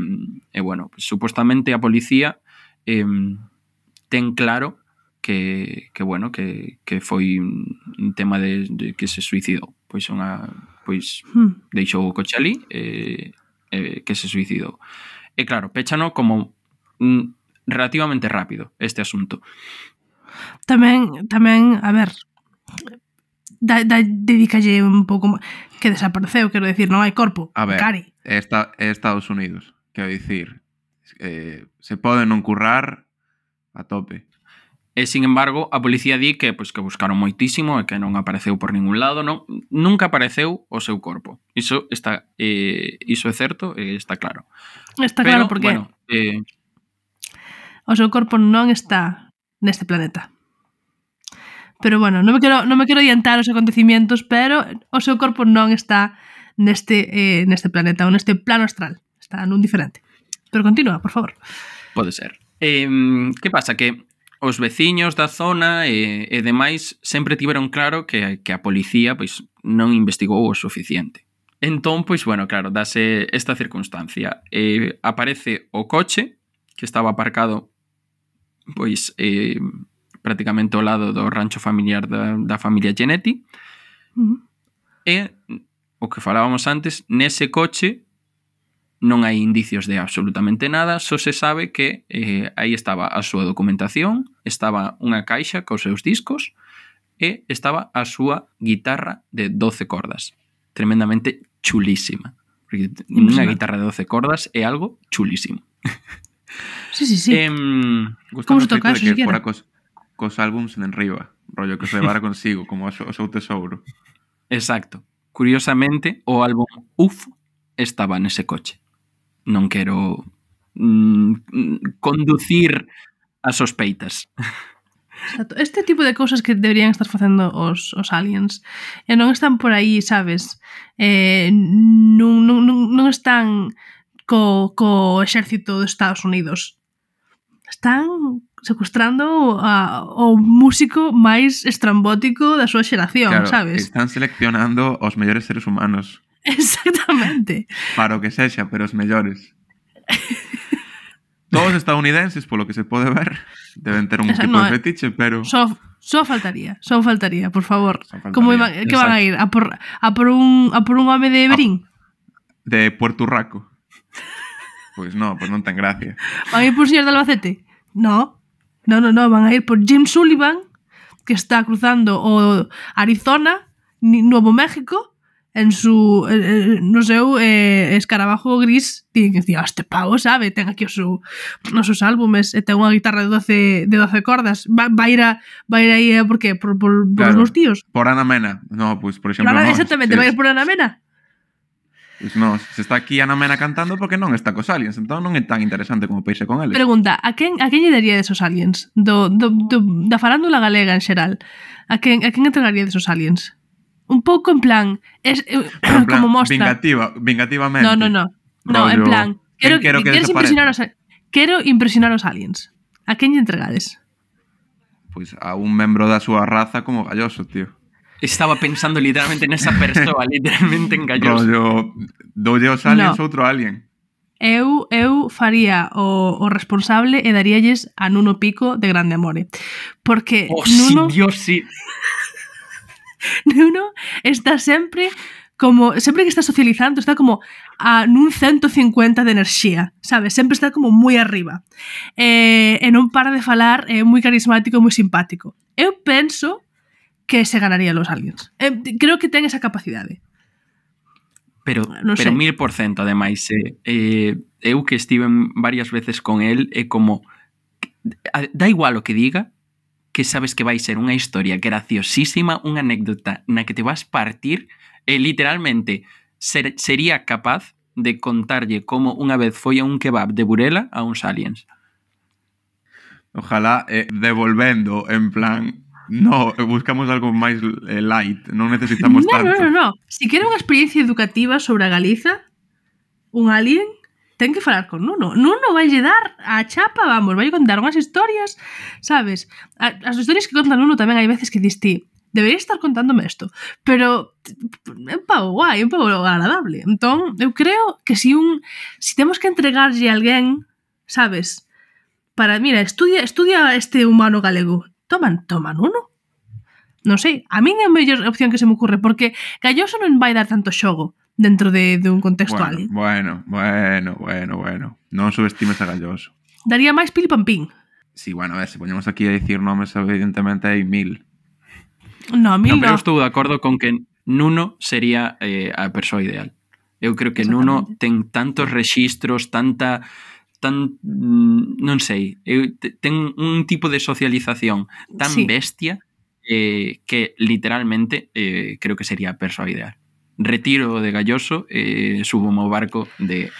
bueno, pois, supostamente a policía ten claro que foi un tema de que se suicidou, pois deixou o coche ali que se suicidou. E claro, péchano como relativamente rápido este asunto. Tamén, a ver, dedícalle un pouco que desapareceu, quero decir, non hai corpo. A ver, Cari. é Estados Unidos, quero dicir, se pode non currar a tope. E, sin embargo, a policía di que buscaron moitísimo e que non apareceu por ningún lado, nunca apareceu o seu corpo. Iso é certo e está claro. Está claro porque o seu corpo non está neste planeta. Pero bueno, non me quero adiantar os acontecimientos, pero o seu corpo non está neste planeta ou neste plano astral. Está nun diferente. Pero continúa, por favor. Pode ser. Que pasa? Que os veciños da zona e demais sempre tiveron claro que a policía non investigou o suficiente. Entón, claro, dase esta circunstancia. Aparece o coche que estaba aparcado prácticamente ao lado do rancho familiar da familia Genetti. E o que falábamos antes, nese coche non hai indicios de absolutamente nada, só se sabe que aí estaba a súa documentación, estaba unha caixa cos seus discos e estaba a súa guitarra de 12 cordas. Tremendamente chulísima. Porque unha guitarra de 12 cordas é algo chulísimo. Sí. Como se toca eso, que fora cos álbums en riba, rollo que se levara consigo, como o seu tesouro. Exacto. Curiosamente, o álbum UFO estaba nese coche. Non quero conducir a sospeitas. Exacto. Este tipo de cousas que deberían estar facendo os aliens e non están por aí, sabes? Non están co exército dos Estados Unidos. Están secuestrando o músico máis estrambótico da súa xeración, claro, sabes? Están seleccionando os mellores seres humanos. Exactamente. Para o que sexa, pero os mellores. Todos estadounidenses, polo que se pode ver, deben ter un tipo de fetiche, pero... Só faltaría, por favor. Como que Exacto. van a ir? A por un home de Berín? De Puerto Rico. Pois non ten gracia. Van a ir por señor de Albacete? No, van a ir por Jim Sullivan, que está cruzando o Arizona, Nuevo México, en su no seu escarabajo gris. Tienen que decir, este pavo sabe, ten aquí os seus álbumes e ten unha guitarra de 12 cordas. Va a ir aí, por qué? Por claro, os meus tíos? Por Ana Mena. No, pues por exemplo, exactamente, va a ir por Ana Mena. Pues no, se está aquí Ana Mena cantando porque non está cos aliens, entón non é tan interesante como peirse con eles. Pregunta, a quen lle daría desos aliens? Da farándula galega en xeral. A quen entregaría desos aliens? Un pouco en plan, en plan como mostra. Vingativamente. No, en plan, quero impresionar os aliens. A quen lle entregades? Pois a un membro da súa raza como Galloso, tío. Estaba pensando literalmente nesa persoa, literalmente en Galloso. Doulle os aliens outro alien. Eu faría o responsable e daríalles a Nuno Pico de Grande Amore. Porque Nuno... Sí, Dios, sí. Nuno está sempre que está socializando, está como nun 150 de enerxía, sabes? Sempre está como moi arriba. E non para de falar, é moi carismático, moi simpático. Eu penso que se ganaría los aliens. Creo que ten esa capacidade. Pero 1000%, ademais. Eu que estive varias veces con el, é como... Da igual o que diga, que sabes que vai ser unha historia graciosísima, unha anécdota na que te vas partir, e literalmente sería capaz de contarlle como unha vez foi a un kebab de Burela a uns aliens. Ojalá devolvendo, en plan... No, buscamos algo máis light, non necesitamos tanto. No. Si quere unha experiencia educativa sobre a Galiza, un alien ten que falar con Nuno. Nuno vai lle dar a chapa, vamos, vai contar unhas historias, sabes? As historias que conta Nuno tamén hai veces que dis ti, debería estar contándome isto, pero é un pavo guai, é un pavo agradable. Entón, eu creo que si temos que entregarlle a alguén, sabes, para, mira, estudia este humano galego, toma Nuno. Non sei, a min é a mellor opción que se me ocurre, porque Galloso non vai dar tanto xogo dentro de un contexto alien. Bueno. Non subestimes a Galloso. Daría máis pil pampín. Sí, bueno, se poñemos aquí a dicir nomes, evidentemente hai 1000. No, 1000 pero estou de acordo con que Nuno sería a persoa ideal. Eu creo que Nuno ten tantos rexistros, tanta non sei, ten un tipo de socialización tan bestia que literalmente creo que sería a persoa ideal. Retiro de Galloso e subo ao barco de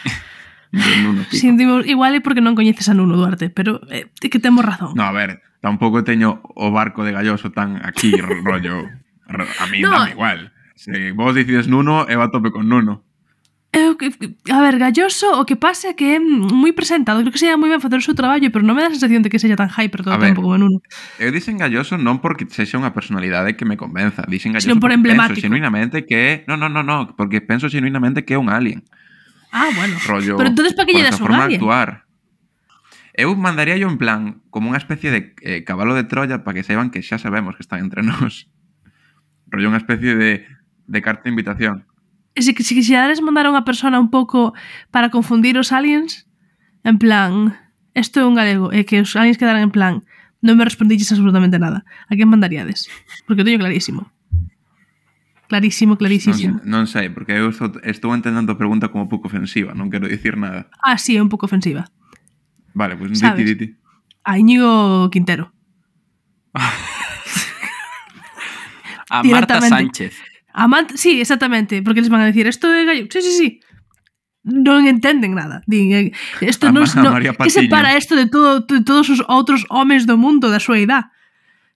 Nuno Pico. Sentimos, igual é porque non coñeces a Nuno Duarte, pero que temos razón. No, a ver, tampouco teño o barco de Galloso tan aquí, rollo. A mí No. dame igual. Se vos decides Nuno, eu a tope con Nuno. A ver, Galloso, o que pasa é que é moi presentado. Creo que sería moi ben facer o seu traballo, pero non me dá a sensación de que sexa tan hyper todo o tempo como Nuno. Eu dixen Galloso non porque sexa unha personalidade que me convenza. Dixen Galloso Sino por emblemático. Penso xenuinamente que... No, porque penso xenuinamente que é un alien. Ah, bueno. Rollo, Pero entonces para que lle das un forma de alien? actuar. Eu mandaría yo en plan como unha especie de cabalo de Troya para que saiban que xa sabemos que están entre nós. Rollo unha especie de carta de invitación. Se quixeres mandar a unha persona un pouco para confundir os aliens, en plan, isto é un galego, e que os aliens quedaran en plan, non me respondiches absolutamente nada. A quen mandaríades? Porque eu teño clarísimo. Clarísimo. Non sei, porque eu estou entendendo a pregunta como pouco ofensiva, non quero dicir nada. Ah, sí, é un pouco ofensiva. Vale, pues Sabes? diti. A Íñigo Quintero. A Marta Directamente. Sánchez. Sí, exactamente, porque les van a decir, esto é gallo. Sí. Non entenden nada. Din, isto non, María que Patiño. separa isto de todos os outros homes do mundo da súa idade.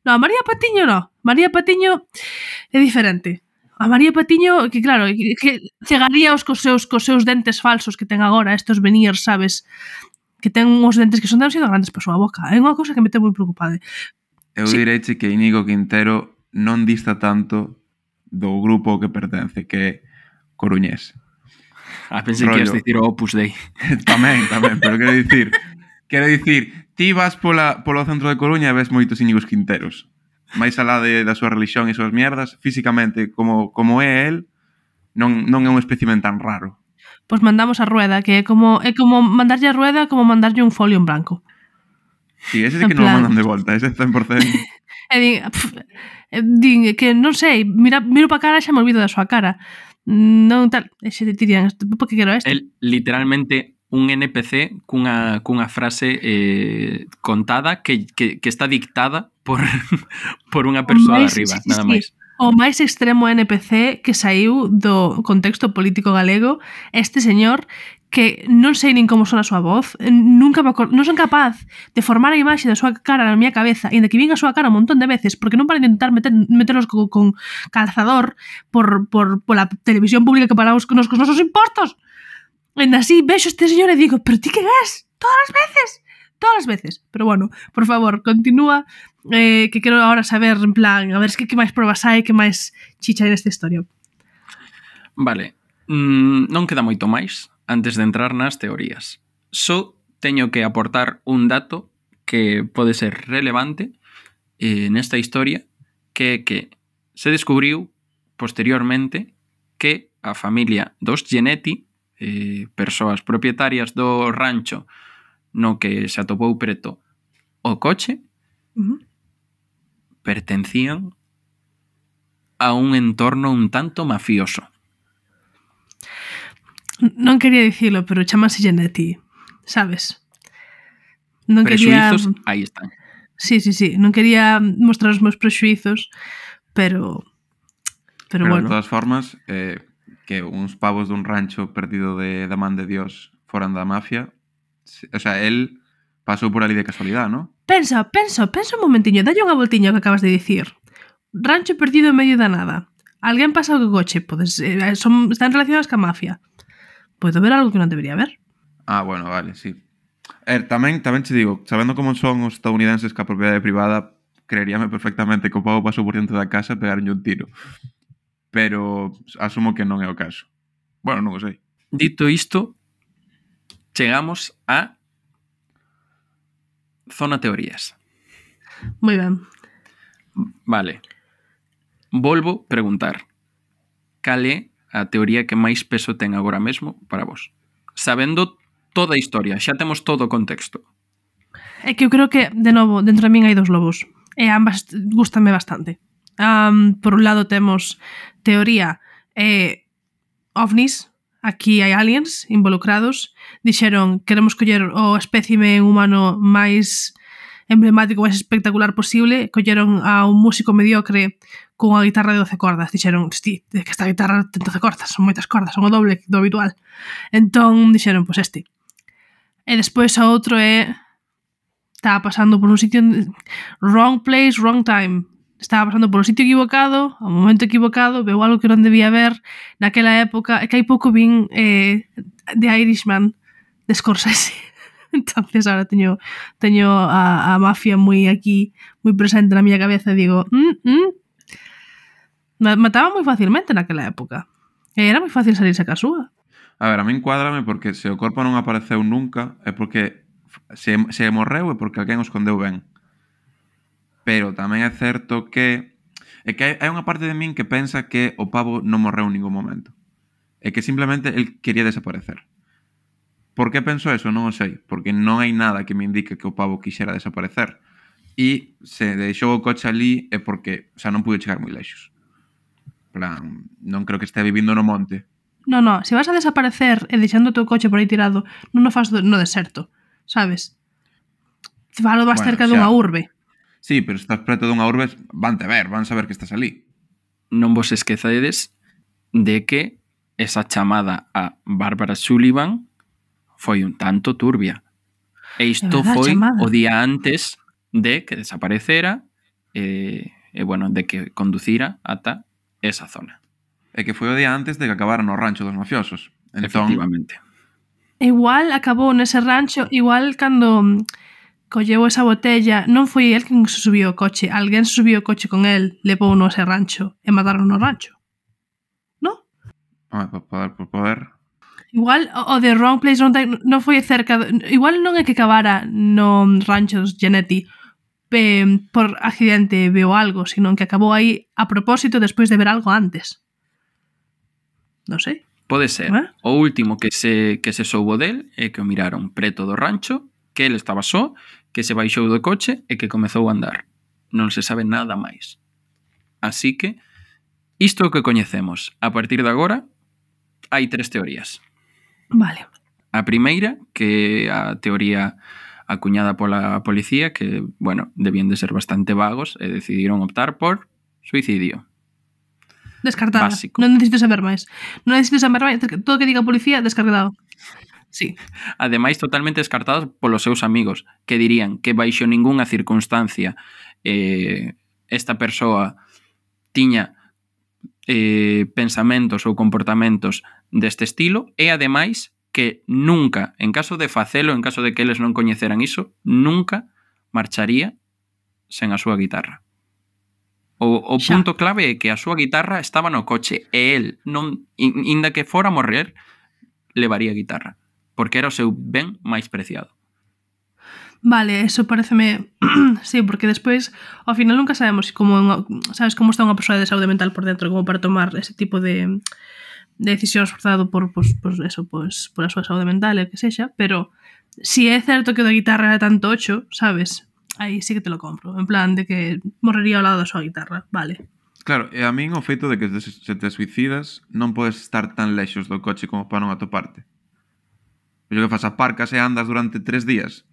No, a María Patiño no. María Patiño é diferente. A María Patiño, que claro, que cegaríaos cos seus dentes falsos que ten agora, estos veneers, sabes, que ten uns dentes que son demasiado grandes para a súa boca. É unha cousa que me ten moi preocupada. Eu direiche que Íñigo Quintero non dista tanto do grupo ao que pertence, que é coruñés. Pensei que ias dicir o Opus Dei. Tamén, pero quero dicir, ti vas polo centro de Coruña e ves moitos Íñigos Quinteros. máis alá da súa religión e súas mierdas, físicamente, como é el, non é un espécimen tan raro. Pois mandamos a Rueda, que é como mandarlle a Rueda como mandarlle un folio en blanco. Sí, ese sí que non o mandan de volta, ese 100%. E din que non sei, miro para cara e xa me olvido da súa cara. Non tal, e xe te dirían, por que quero este? El literalmente un NPC cunha frase contada que está dictada por unha persoa de arriba, nada máis. O máis extremo NPC que saiu do contexto político galego, este señor que non sei nin como son a súa voz, non son capaz de formar a imaxe da súa cara na miña cabeza, e de que vin a súa cara un montón de veces, porque non para intentar meterlos con calzador por la televisión pública que pagamos con os nosos impostos. E así vexo este señor e digo, pero ti que ves? Todas as veces. Pero bueno, por favor, continúa, que quero ahora saber, en plan, a ver que máis probas hai, que máis chicha hai nesta historia. Vale, non queda moito máis antes de entrar nas teorías. Só teño que aportar un dato que pode ser relevante nesta historia, que é que se descubriu posteriormente que a familia dos Genetti, persoas propietarias do rancho no que se atopou preto o coche, pertencían a un entorno un tanto mafioso. Non quería dicilo, pero chamase Genetti, sabes? Non Prexuizos, quería... aí están. Sí, non quería mostrar os meus prexuizos, pero bueno. De todas formas, que uns pavos dun rancho perdido da man de Dios foran da mafia, o sea, él pasou por ali de casualidade, ¿no? Pensa un momentiño, dalle unha voltiña que acabas de dicir. Rancho perdido en medio da nada. Alguén pasa co coche, están relacionados ca mafia. Podo ver algo que non debería ver. Ah, bueno, vale, sí. Tamén te digo, sabendo como son os estadounidenses ca propiedade privada, creeríame perfectamente que o pavo pasou por dentro da casa e pegaronlle un tiro. Pero asumo que non é o caso. Bueno, non o sei. Dito isto, chegamos a zona teorías. Moi ben. Vale. Volvo preguntar. Cal é a teoría que máis peso ten agora mesmo para vos? Sabendo toda a historia, xa temos todo o contexto. É que eu creo que, de novo, dentro de min hai dos lobos. E ambas gústame bastante. Por un lado temos teoría ovnis, aquí hai aliens involucrados, dixeron queremos coller o espécime humano máis emblemático, máis espectacular posible, colleron a un músico mediocre cunha guitarra de 12 cordas, dixeron, que esta guitarra ten 12 cordas, son moitas cordas, son o doble do habitual. Entón dixeron, pois este. E despois o outro estaba pasando por un sitio wrong place, wrong time. Estaba pasando por un sitio equivocado, ao momento equivocado, veu algo que non debía ver naquela época, e que hai pouco vin The Irishman de Scorsese. Entonces ahora teño a mafia moi aquí, moi presente na miña cabeza e digo, mataba moi facilmente naquela época. E era moi fácil salirse ca súa. A ver, a min cuádrame porque se o corpo non apareceu nunca é porque se morreu é porque alguén o escondeu ben. Pero tamén é certo que hai unha parte de min que pensa que o pavo non morreu en ningún momento. É que simplemente el quería desaparecer. Por que penso eso? Non o sei. Porque non hai nada que me indique que o pavo quixera desaparecer. E se deixou o coche ali é porque, o sea, non pude chegar moi lexos. Plan, non creo que estea vivindo no monte. No, se vas a desaparecer e deixando o teu coche por aí tirado, non o faz no deserto, sabes? Falo máis cerca dunha urbe. Sí, pero se estás preto dunha urbe, van saber que estás ali. Non vos esquecedes de que esa chamada a Bárbara Sullivan foi un tanto turbia. E isto foi chamada o día antes de que desaparecera e bueno, de que conducira ata esa zona. E que foi o día antes de que acabara no rancho dos mafiosos. Entón, efectivamente. Igual acabou nese rancho, igual cando colleu esa botella, non foi el quen se subiu ao coche, alguén se subiu ao coche con el, levou no ese rancho e mataron no rancho. Non? Por poder. Igual o de Wrong Place, Wrong Time non foi cerca igual non é que acabara no rancho dos Genetti por accidente veo algo, sino que acabou aí a propósito despois de ver algo antes. Non sei. Pode ser. O último que se soubo del é que o miraron preto do rancho, que ele estaba só, que se baixou do coche e que comezou a andar. Non se sabe nada máis. Así que isto é o que coñecemos. A partir de agora hai 3 teorías. Vale. A primeira, que a teoría acuñada pola policía, que, bueno, debían de ser bastante vagos e decidiron optar por suicidio. Descartada. Básico. Non necesito saber máis. Todo o que diga a policía, descartado. Sí. Ademais, totalmente descartados polos seus amigos, que dirían que baixo ningunha circunstancia esta persoa tiña pensamentos ou comportamentos deste estilo e, ademais, que nunca, en caso de facelo, en caso de que eles non coñeceran iso, nunca marcharía sen a súa guitarra. O punto clave é que a súa guitarra estaba no coche e el, non, inda que fora a morrer, levaría a guitarra, porque era o seu ben máis preciado. Vale, eso pareceme sí, porque despois ao final nunca sabemos sabes como está unha persoa de saúde mental por dentro como para tomar ese tipo de decisións forzado por a súa saúde mental e que sexa, pero si é certo que o da guitarra era tanto ocho, sabes, aí sí que te lo compro, en plan de que morrería ao lado da súa guitarra, vale. Claro, e a min o feito de que se te suicidas non podes estar tan lexos do coche como para non atoparte. Pero que fas, aparcas e andas durante 3 días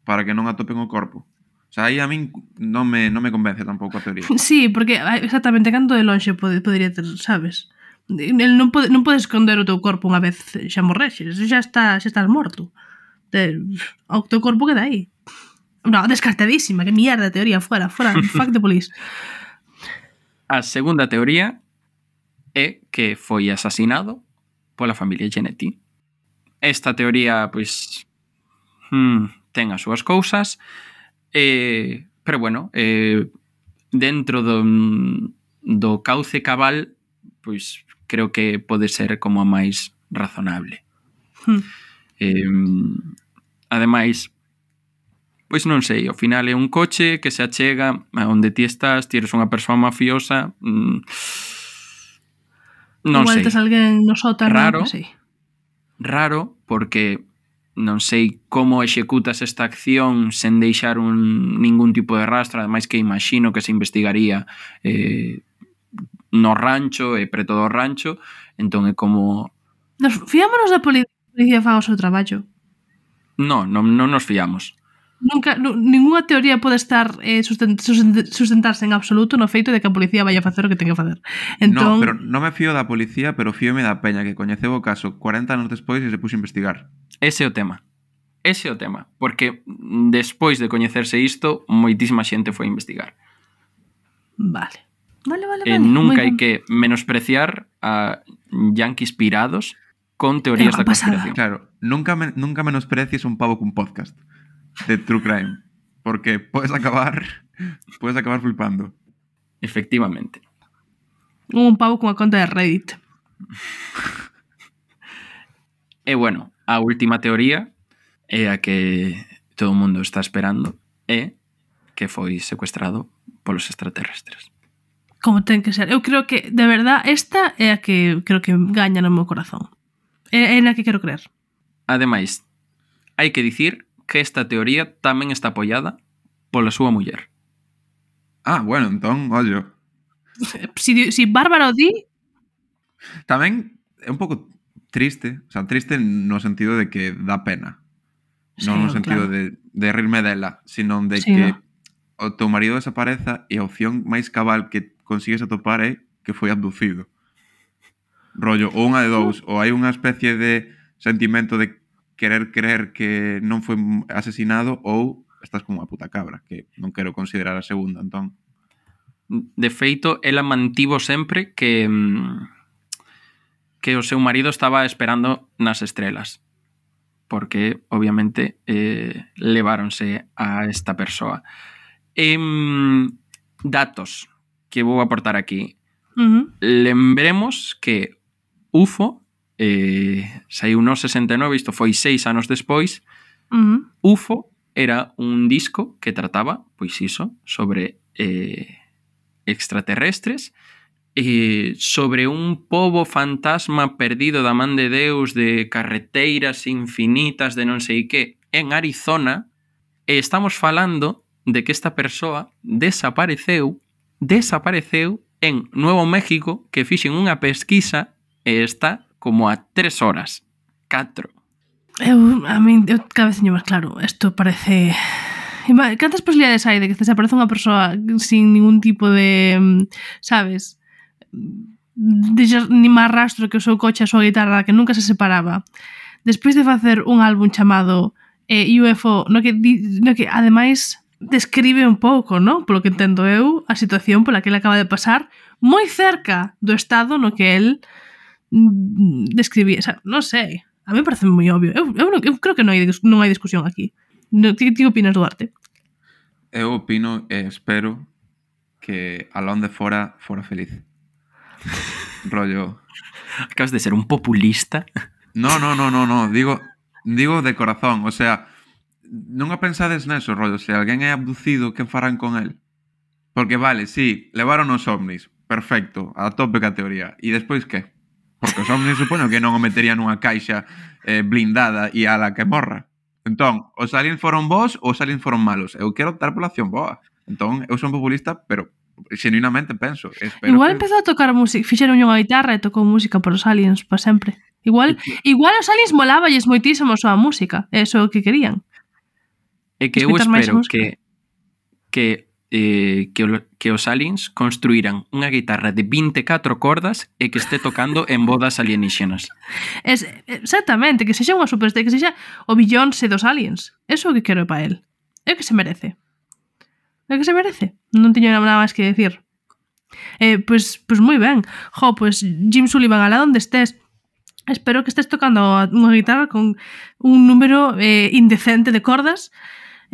para que non atopen o corpo. O sea, aí a min non me convence tampouco a teoría. Sí, porque exactamente canto de lonxe podría ter, sabes? El non pode esconder o teu corpo unha vez xa morrexes, xa estás morto. O teu corpo queda aí. No, descartadísima, que mierda de teoría, fuera, fuck the police. A segunda teoría é que foi asasinado pola familia Genetti. Esta teoría, pois, ten as súas cousas, pero bueno, dentro do cauce cabal, pois creo que pode ser como a máis razonable. Ademais, pois non sei, ao final é un coche que se achega a onde ti estás, ti eres unha persoa mafiosa, non igual sei. Igual tes alguén no sótano, non sei. Raro, porque non sei como executas esta acción sen deixar ningún tipo de rastro, ademais que imagino que se investigaría no rancho e preto do rancho, entón é como Fiámonos da policía faga o seu traballo. Non nos fiamos. Nunca, ninguna teoría pode estar sustentarse en absoluto no feito de que a policía vai a facer o que ten que facer. No, pero non me fío da policía, pero fíome da peña que coñeceu o caso 40 anos despois e se puxo a investigar. Ese é o tema. Porque despois de coñecerse isto, moitísima xente foi a investigar. Vale. Nunca hai que menospreciar a yanquis pirados con teorías da conspiración. Claro, nunca menosprecies un pavo cun podcast de True Crime, porque puedes acabar flipando. Efectivamente. Un pavo cunha conta de Reddit. E bueno, a última teoría é a que todo o mundo está esperando, é que foi secuestrado polos extraterrestres. Como ten que ser. Eu creo que, de verdad, esta é a que creo que gaña no meu corazón. É na que quero creer. Ademais, hai que dicir que esta teoría tamén está apoiada pola súa muller. Ah, bueno, entón, ollo. Si Bárbara o di... Tamén é un pouco triste, o sea, triste no sentido de que dá pena. Sí, non no sentido claro. de rirme dela, sino de Sí, que no. o teu marido desapareza e a opción máis cabal que consigues atopar é que foi abducido. Rollo, ou unha de dous, ou hai unha especie de sentimento de querer creer que non foi asesinado ou estás como unha puta cabra, que non quero considerar a segunda, entón. De feito, ela mantivo sempre que o seu marido estaba esperando nas estrelas, porque obviamente leváronse a esta persoa. Datos que vou aportar aquí. Lembremos que UFO saiu no 69, isto foi 6 anos despois. UFO era un disco que trataba, pois iso, sobre extraterrestres, sobre un pobo fantasma perdido da man de Deus, de carreteiras infinitas de non sei que, en Arizona, e estamos falando de que esta persoa desapareceu en Nuevo México, que fixen unha pesquisa e está como a 3 horas. 4. Eu cada vez teño máis claro. Isto parece... Cantas posibilidades hai de que desaparece unha persoa sin ningún tipo de... sabes? Ni máis rastro que o seu coche, a súa guitarra, que nunca se separaba. Despois de facer un álbum chamado UFO, no que ademais describe un pouco, ¿no? Polo que entendo eu, a situación pola que ele acaba de pasar, moi cerca do estado no que el describía. O sea, non sei, a mí me parece moi obvio. Eu creo que non hai discusión aquí. Ti opinas, Duarte? Eu opino e espero que Alón de fora feliz. Rollo... Acabas de ser un populista. No. Digo de corazón. O sea, non a pensades neso, rollo. Se alguén é abducido, que farán con él? Porque vale, sí, levaron os ovnis. Perfecto, a tope ca teoría. E despois que? Porque os ovnis supoño que non o meterían nunha caixa blindada e a la que morra. Entón, os aliens foron bons ou os aliens foron malos? Eu quero optar pola opción boa. Entón, eu son populista, pero xenuinamente penso. Igual empezou a tocar música, fixeron unha guitarra e tocou música por os aliens para sempre. Igual os aliens moláballes moitísimo a súa música. Eso é o que querían. É que eu espero que os aliens construíran unha guitarra de 24 cordas e que este tocando en bodas alienígenas. Exactamente, que sexa unha superestrella, que sexa o Beyoncé dos aliens. Eso é o que quero para el. É o que se merece. É o que se merece. Non teño nada máis que decir. Pues moi ben. Pues Jim Sullivan, alá onde estés, espero que estés tocando unha guitarra con un número indecente de cordas,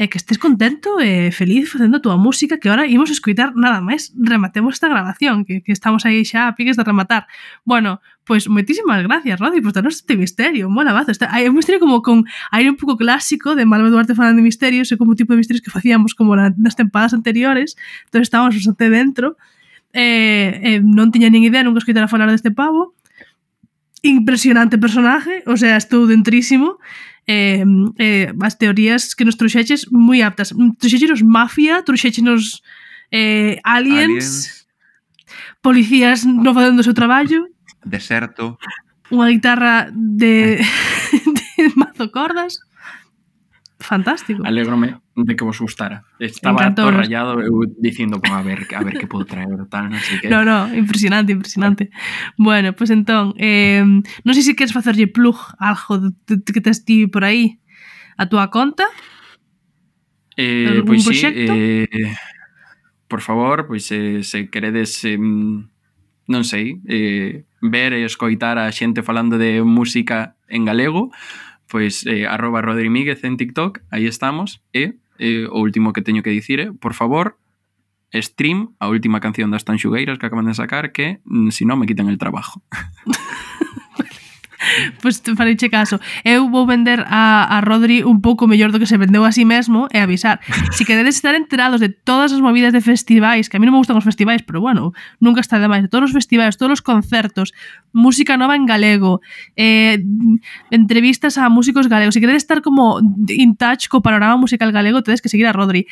que estés contento e feliz facendo a túa música, que agora imos escoitar nada máis rematemos esta grabación, que estamos aí xa a piques de rematar. Bueno, pois moitísimas gracias, Rodi, por darnos este misterio, mola bazo. Hai un misterio como con aire un pouco clásico de Malva Duarte falando de misterios, e como tipo de misterios que facíamos como nas tempadas anteriores, entón estábamos bastante dentro, non tiña nin idea, nunca escoitara falar deste pavo. Impresionante personaje, o sea, estou dentrísimo. As teorías que nos trouxeches moi aptas. Trouxechenos mafia, trouxechenos aliens, policías non facendo o seu traballo, deserto. unha guitarra de mazo cordas. Fantástico. Alégrome de que vos gustara. Estaba todo rayado eu dicindo, a ver que podo traer tal, non sei que. No, impresionante. Bueno, pues entón, non sei se queres facerlle plug algo que tes ti por aí a túa conta. Pois sí, por favor, pois se queredes non sei, ver e escoitar a xente falando de música en galego, pois @rodrimíguez en TikTok, aí estamos, e o último que teño que dicir por favor, stream a última canción das Tanxugueiras que acaban de sacar, que si non me quitan el trabajo. Pois pues, fareiche caso. Eu vou vender a Rodri un pouco mellor do que se vendeu a sí mesmo e avisar. Si queredes estar enterados de todas as movidas de festivais, que a mí non me gustan os festivais, pero bueno, nunca está de máis, de todos os festivais, todos os concertos, música nova en galego, entrevistas a músicos galegos. Si queredes estar como in touch co panorama musical galego, tedes que seguir a Rodri.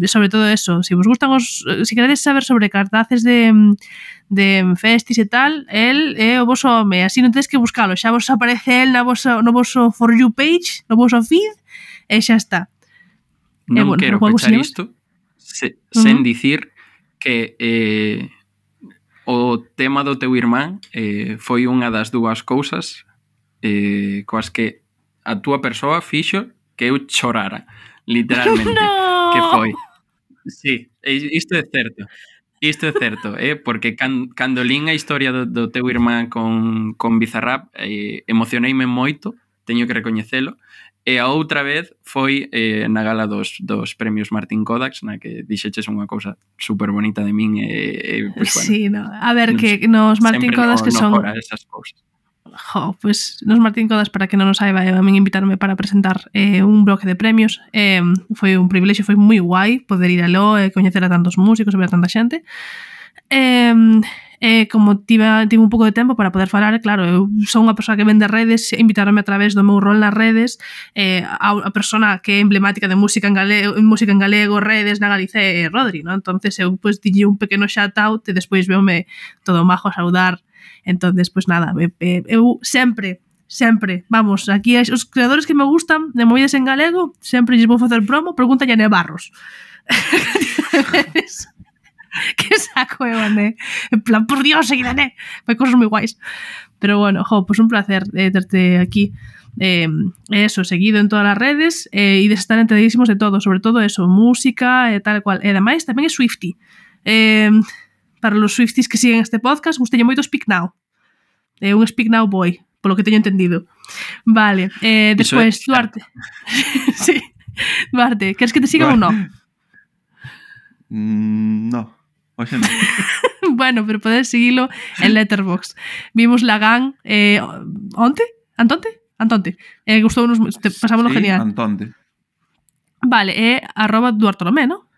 Sobre todo eso, si vos gustan si queredes saber sobre cartaces de festis e tal, el é o voso home, así non tedes que buscalo, xa vos aparece el no voso For You page, no voso feed, e xa está. Non quero pechar isto sen dicir que o tema do teu irmán foi unha das dúas cousas coas que a túa persoa fixo que eu chorara, literalmente. No. Que foi. Sí, isto é certo. Isto é certo, porque cando lín a historia do teu irmán con Bizarrap, emocioneime moito, teño que recoñecelo, e a outra vez foi na gala dos premios Martín Kodax, na que dixeches unha cousa super bonita de min, pues, bueno, sí, no. A ver, que nos Martín Kodax que son... esas cousas. Pues nos Martín Kodax, para que non o saiba, a min invitarme para presentar un bloque de premios, foi un privilexio, foi moi guai poder ir aló e coñecer a tantos músicos e ver a tanta xente. Como tive un pouco de tempo para poder falar, claro, eu son unha persoa que vende redes, invitaronme a través do meu rol nas redes, a persona que é emblemática de música en galego, redes na Galicia é Rodri, ¿no? Entonces eu pues dille un pequeno shout out e despois veome todo majo a saudar. Entonces, pues nada, eu sempre, vamos, aquí os creadores que me gustan de movidas en galego, sempre lles vou facer promo, pregúntalle a Nevarros. Que saco, Evané. En plan, por Dios, seguidané. Fai cosas moi guais. Pero bueno, pues un placer terte aquí. Eso, seguido en todas as redes e de estar enteradísimos de todo, sobre todo eso, música e tal cual. E ademais, tamén é Swiftie. Para los Swifties que siguen este podcast, gustalle moito Speak Now. Un Speak Now boy, polo que teño entendido. Vale, despois, Duarte. Sí, Duarte, queres que te sigan ou non? No, oxe non. Bueno, pero podes seguilo en Letterboxd. Vimos Lagan Antonte. Gustounos, pasámoslo sí, genial. Antonte. Vale, @Duartolomé, ¿no?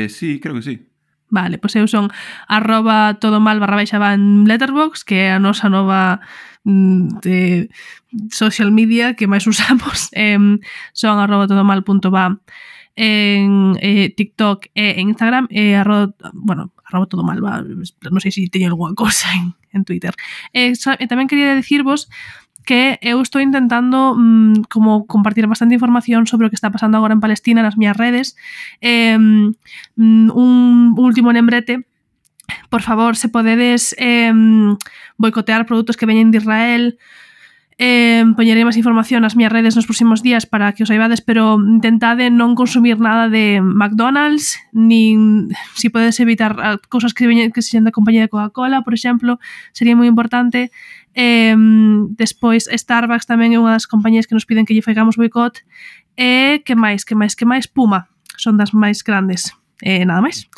Sí, creo que sí. Vale, pois eu son @todomal_va en Letterboxd, que é a nosa nova de social media que máis usamos. Son @todomal.va en TikTok e en Instagram e @todomalva, non sei se teño algunha cosa en Twitter. Tamén quería dicirvos que eu estou intentando como compartir bastante información sobre o que está pasando agora en Palestina nas miñas redes. Un último lembrete, por favor, se podedes boicotear produtos que veñen de Israel, poñerei máis información nas miñas redes nos próximos días para que os saibades, pero intentade non consumir nada de McDonald's, nin si podedes evitar cousas que sean da compañía de Coca-Cola, por exemplo, sería moi importante. Despois Starbucks tamén é unha das compañías que nos piden que lle faigamos boicot. Que máis? Puma, son das máis grandes. Nada máis.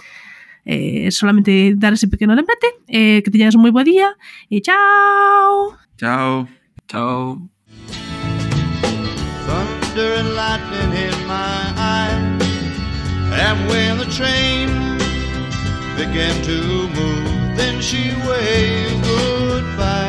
Solamente dar ese pequeno lembrete, que teñades un moi bo día e chao. Chao. Chao. Thunder and lightning in my eyes, and when the train began to move, then she waved goodbye.